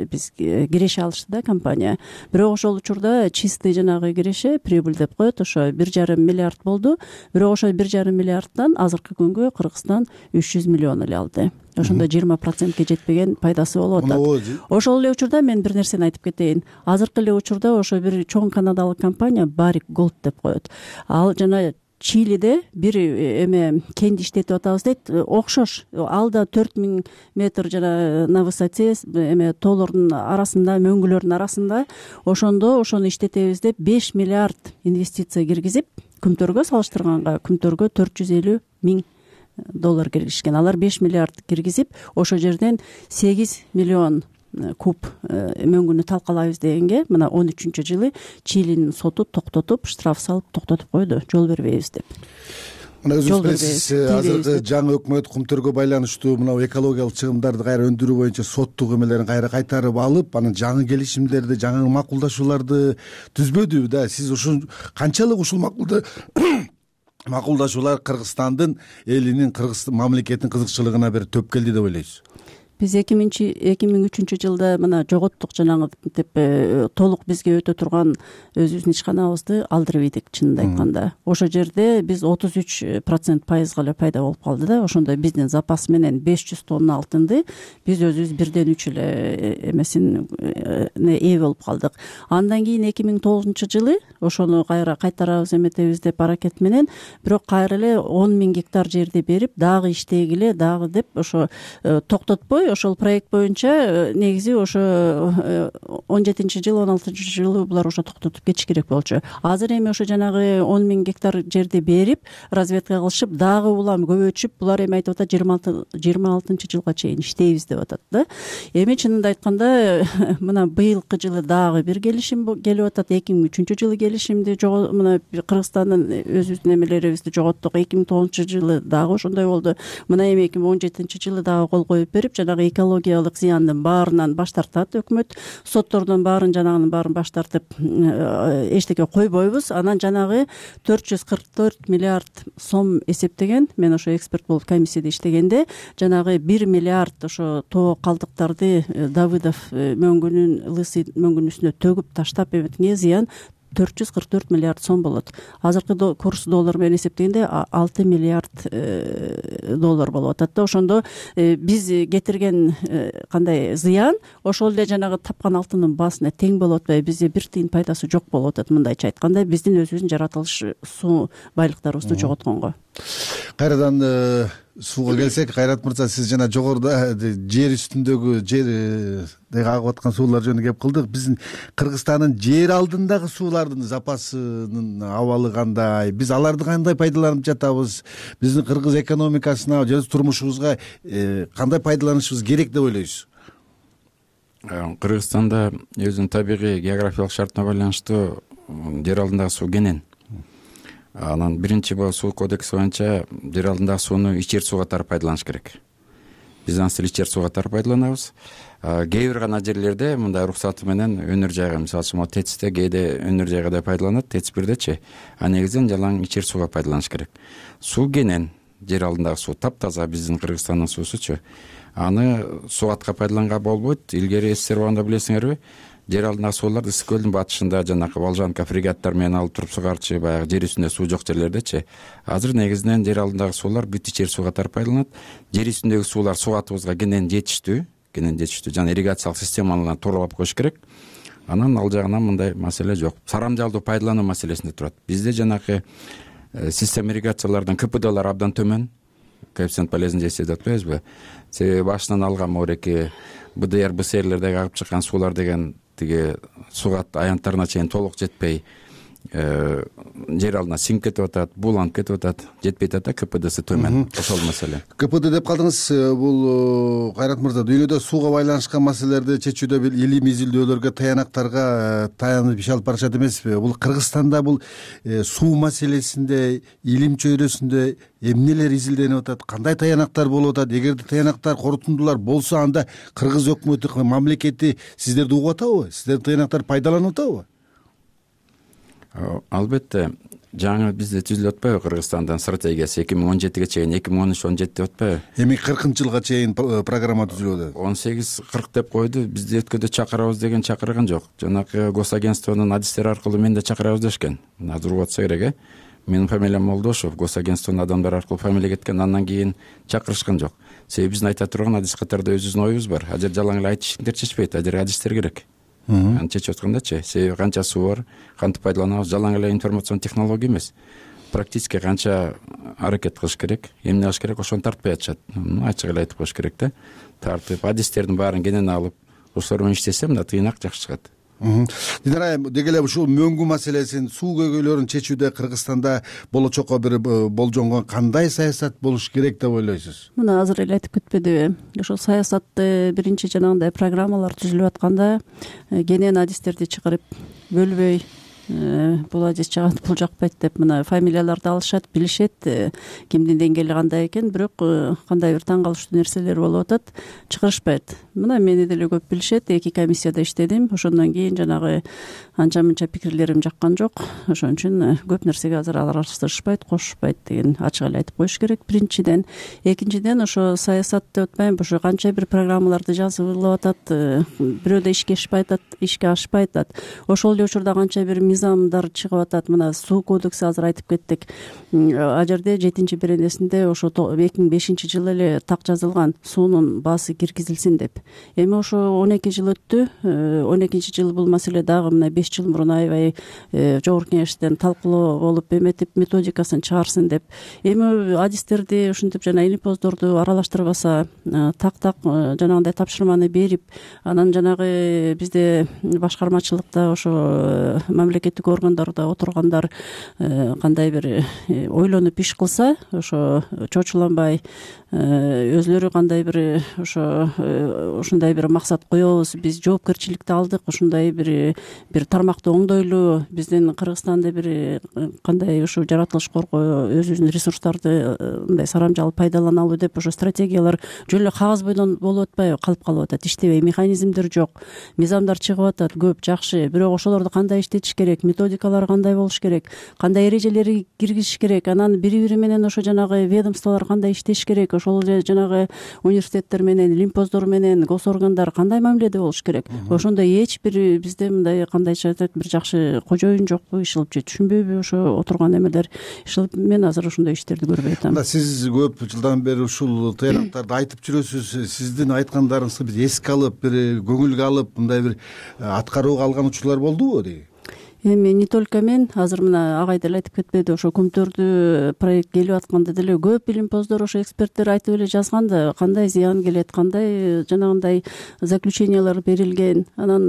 биз киреше алышты да компания. Бирок ошол учурда чистый жанагы киреше, прибыль деп коет, ошо 1,5 миллиард болду. Бирок ошо 1,5 миллиардтан азыркы күнгө Кыргызстан 300 миллион эле алды. Ошондо 20%ге жетпеген пайдасы болуп атат. Ошол эле учурда мен бир нерсени айтып кетейин. Азыркы эле учурда ошо бир чоң канадалык компания Barrick Gold деп коет. Ал жана Чилиде бир кенди иштетип атабыз дейт. Окшош. Ал да 4000 метр жана на высоте тоолордун арасында, мөңгүлөрдүн арасында. Ошондо ошону иштетебиз деп 5 миллиард инвестиция киргизип, Күмтөргө салыштырганга, Күмтөргө $450 000 киргизишкен. Алар 5 миллиард киргизип, ошол жерден 8 миллион куб мөңгүнү талкалайбыз дегенге, мына 13-жылы Чилинин соту токтотуп, штраф салып токтотуп койду, жол бербейбиз деп. Мына өзүңүз билесиз, азыркы жаңы өкмөт Кумтөргө байланыштуу мына экологиялык чыгымдарды кайра өндүрүү боюнча соттук эмелерин кайра кайтарып алып, анан жаңы келишимдерди, жаңы макулдашууларды түзбөдүбү да? Сиз ушул канчалык ушул макулдашуулар Кыргызстандын элинин, Кыргыз мамлекетинин кызыкчылыгына бир төп келди деп ойлойсуз? Биз 2003-жылда мына жоготтук, жанагынтип толук бизге өтө турган өзүбүздүн ишканабызды алдырып ийдик, чынында айтканда. Ошол жерде биз 33% пайызга эле пайда болуп калды да. Ошондо биздин запас менен 500 тонна алтынды биз өзүбүз 1/3 эле эмесин ээ болуп калдык. Андан кийин 2009-жылы ошону кайра кайтарабыз эметебиз деп аракет менен, бирок кайра эле 10 000 гектар жерди берип, дагы иштегиле, дагы деп ошо токтотпой, ошол проект боюнча негизи ошо 17-жылы, 16-жылы булар ошо токтотуп кетиш керек болчу. Азыр эми ошо жанагы 10 000 гектар жерди берип, разведка кылышып, дагы улам көбөйтүшүп, булар эми айтып атат 26-жылга чейин иштейбиз деп атат да. Эми чынында айтканда, мына быйылкы жылы дагы бир келишим келип атат. 2003-жылы келишимди мына Кыргызстандын өзүбүздүн эмелерибизди жоготтук. 2009-жылы дагы ошондой болду. Мына эми 2017-жылы дагы кол коюп берип, жанагы экологиялык зыяндын баарынан баш тартат өкмөт. Соттордон баарын, жанагынын баарын баш тартып, эчтеке койбойбуз. Анан жанагы 444 миллиард сом эсептеген. Мен ошо эксперт болуп комиссияда иштегенде, жанагы 1 миллиард ошо тоо калдыктарды Давыдов мөңгүнүн, Лысый мөңгүнүн үстүнө төгүп таштап эметкенге зыян 444 миллиард сом болот. Азыркы курс доллар менен эсептегенде 6 миллиард доллар болуп атат да. Ошондо биз кетирген кандай зыян ошол эле жанагы тапкан алтындын баасына тең болуп атпайбы. Бизде бир тыйын пайдасы жок болуп атат. Мындайча айтканда биздин өзүбүздүн жаратылыш суу байлыктарыбызды жоготконго. Кайрадан сууга келсек, Кайрат мырза, сиз жана жогоруда жер үстүндөгү жерде агып аткан суулар жөнүндө кеп кылдык. Биздин Кыргызстандын жер алдындагы суулардын запасынын абалы кандай? Биз аларды кандай пайдаланып жатабыз? Биздин кыргыз экономикасына же турмушубузга кандай пайдаланышыбыз керек деп ойлойсуз? Кыргызстанда өзүнүн табигый географиялык шартына байланыштуу жер алдындагы суу кенен. Анан биринчи суу кодекси боюнча жер алдындагы сууну ичер суу катары пайдаланыш керек. Биз аны ичер суу катары пайдаланабыз. Кээ бир гана жерлерде мындай уруксаты менен өнөр жайга, мисалы үчүн ТЭЦте кээде өнөр жайга да пайдаланат, ТЭЦ бирдечи. А негизинен жалаң ичер сууга пайдаланыш керек. Суу кенен, жер алдындагы суу таптаза, биздин Кыргызстандын суусучу. Аны сууатка пайдаланганга болбойт. Илгери СССР убагында билесиңерби, жер алдындагы сууларды Ысык көлдүн батышында жанагы Волжанка фрегаттар менен алып туруп сугарчы, баягы жер үстүндө суу жок жерлердечи. Азыр негизинен жер алдындагы суулар бүт ичер суу катары пайдаланат. Жер үстүндөгү суулар сууатыбызга кенен жетиштүү, жана ирригациялык системалардан тоолоп коюш керек. Анан ал жагынан мындай маселе жок. Сарамжалдуу пайдалануу маселесинде турат. Бизде жанагы система ирригациялардан КПДлар абдан төмөн. Коэффициент полезности деп атпайбызбы? Себеби башынан алган мореки БДР, БСРлердеги агып чыккан суулар деген тиги суугат аянттарына чейин толук жетпей жер алдына сиңип кетип атат, бууланып кетип атат, жетпей атат, КПДсы төмөн. Ошол маселе. КПД деп калдыңыз. Бул Кайрат мырза, дүйнөдө сууга байланышкан маселелерди чечүүдө бир илим изилдөөлөргө, таянактарга таянып иш алып барышат эмеспи? Бул Кыргызстанда бул суу маселесинде, илим чөйрөсүндө эмнелер изилденип атат? Кандай таянактар болуп атат? Эгерде таянактар, корутундулар болсо, анда кыргыз өкмөтү, мамлекети сиздерди угуп атабы? Сиздердин таянактар пайдаланып атабы? Албетте, жаңы бизде түзүлүп атпайбы Кыргызстандын стратегиясы 2017ге чейин, 2013-17 деп атпайбы? Эми 40-жылга чейин программа түзүлүп атат. 18-40 деп койду. Бизди өткөдө чакырабыз деген чакырган жок. Жанагы госагентствонун адистери аркылуу мен да чакырабыз дешкен. Азыр угуп атса керек, Менин фамилиям Молдошев, госагентствонун адамдары аркылуу фамилия кеткен, андан кийин чакырышкан жок. Себеби биздин айта турган адис катарда өзүбүздүн оюбуз бар. Ажер жалаң эле айтышыңдар чечпейт, ажер адистер керек. Аны чечип аткандачы, себеби канча суу бар, кантип пайдаланабыз, жалаң эле информацион технология эмес. Практически канча аракет кылыш керек, эмне кылыш керек, ошону тартпай атышат. Ачык эле айтып коюш керек да. Тартып, адистердин баарын кенен алып, ошолор менен иштесе мына тыйнак жакшы чыгат. Динара айым, деги эле ушул мөңгү маселесин, суу көйгөйлөрүн чечүүдө Кыргызстанда болочокко бир болжонгон кандай саясат болуш керек деп ойлойсуз? Мына азыр эле айтып кетпедиби? Ошол саясатты биринчи жанагындай программалар түзүлүп атканда кенен адистерди чыгарып бөлбөй, бул адис жагат, бул жакпайт деп мына фамилияларды алышат, билишет, кимдин деңгээли кандай экен, бирок кандай бир таң калыштуу нерселер болуп атат, чыгарышпайт. Мына мени деле көп билишет, 2 комиссияда иштедим. Ошондон кийин жанагы анча-мынча пикирлерим жаккан жок. Ошон үчүн көп нерсеге азыр аралашышпайт, кошушпайт деген ачык эле айтып коюш керек биринчиден. Экинчиден, ошо саясат деп атпайм, ошо канча бир программаларды жазылып атат, бирөөдө ишке ашпай атат. Ошол эле учурда канча бир мыйзамдар чыгып атат. Мына суу кодекси азыр айтып кеттик. А жерде 7-беренесинде ошо 2005-жылы эле так жазылган, суунун баасы киргизилсин деп. Эми ошо 12 жыл өттү. 12-жылы бул маселе дагы мына 5 жыл мурун аябай жогорку кеңештен талкуулоо болуп, эметип методикасын чыгарсын деп. Эми адистерди ушинтип жана илимпоздорду аралаштырбаса, так жанагындай тапшырманы берип, анан жанагы бизде башкармачылыкта ошо мамлекеттик органдарда отургандар кандай бир ойлонуп иш кылса, ошо чочуланбай, өзлөрү кандай бир ошо ушундай бир максат коебуз, биз жоопкерчиликти алдык, ушундай бир тармакты оңдойлу, биздин Кыргызстанда бир кандай ушу жаратылыш коргоо, өзүбүздүн ресурстарды мындай сарамжалып пайдаланалуу деп ошо стратегиялар жөн эле кагаз бойдон болуп атпайбы, калып калып атат, иштебей, механизмдер жок, мыйзамдар чыгып атат көп, жакшы, бирок ошолорду кандай иштетиш керек, керек, методикалар кандай болуш керек, кандай эрежелерди киргизиш керек, анан бири бири менен ошо жанагы ведомстволор кандай иштеш керек, ошол эле жанагы университеттер менен, лимпоздор менен госоргандар кандай мамиледе болуш керек. Ошондой эч бир бизде мындай кандайча айтат бир жакшы кожоюн жокпу, ишилип же түшүнбөйбү ошо отурган эмелер ишилип. Мен азыр ошондой иштерди көрбөй атам. Сиз көп жылдан бери ушул тыйнактарды айтып жүрөсүз. Сиздин айткандарыңызды биз эске алып, бир көңүлгө алып, мындай бир аткарууга алган учурлар болдубу дейт? Эми не только мен, азыр мына агай деле айтып кетпеди, ошо көмтөрдү проект келип атканда деле көп билимпоздор, ошо эксперттер айтып эле жазган да, кандай зыян келет, кандай жанагындай заключениялар берилген. Анан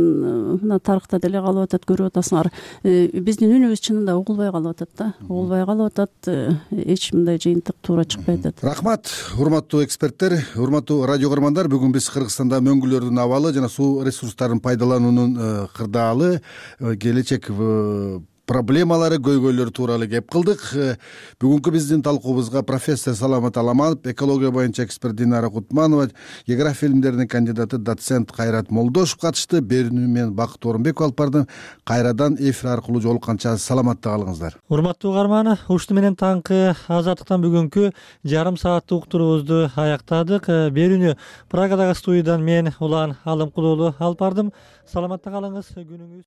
мына тарыхта деле калып атат, көрүп атасыңар. Биздин үнүбүз чынында угулбай калып атат да, угулбай калып атат. Эч мындай жыйынтык туура чыкпай атат. Рахмат, урматтуу эксперттер, урматтуу радио көрөрмандар. Бүгүн биз Кыргызстанда мөңгүлөрдүн абалы жана суу ресурстарын пайдалануунун кырдаалы, келечек проблемалары, көйгөйлөрү тууралуу кеп кылдык. Бүгүнкү биздин талкуубузга профессор Саламат Аламанов, экология боюнча эксперт Динара Кутманова, география илимдеринин кандидаты доцент Кайрат Молдошев катышты. Берүүнү мен Бакыт Орунбеков алып бардым. Кайрадан эфир аркылуу жолукканча саламатта калыңыздар. Урматтуу угарман, ушуну менен таңкы Азаттыктан бүгүнкү жарым сааттык уктуруубузду аяктадык. Берүүнү Прагадагы студиядан мен Улан Алымкулуулу алып бардым. Саламатта калыңыз, күнүңүз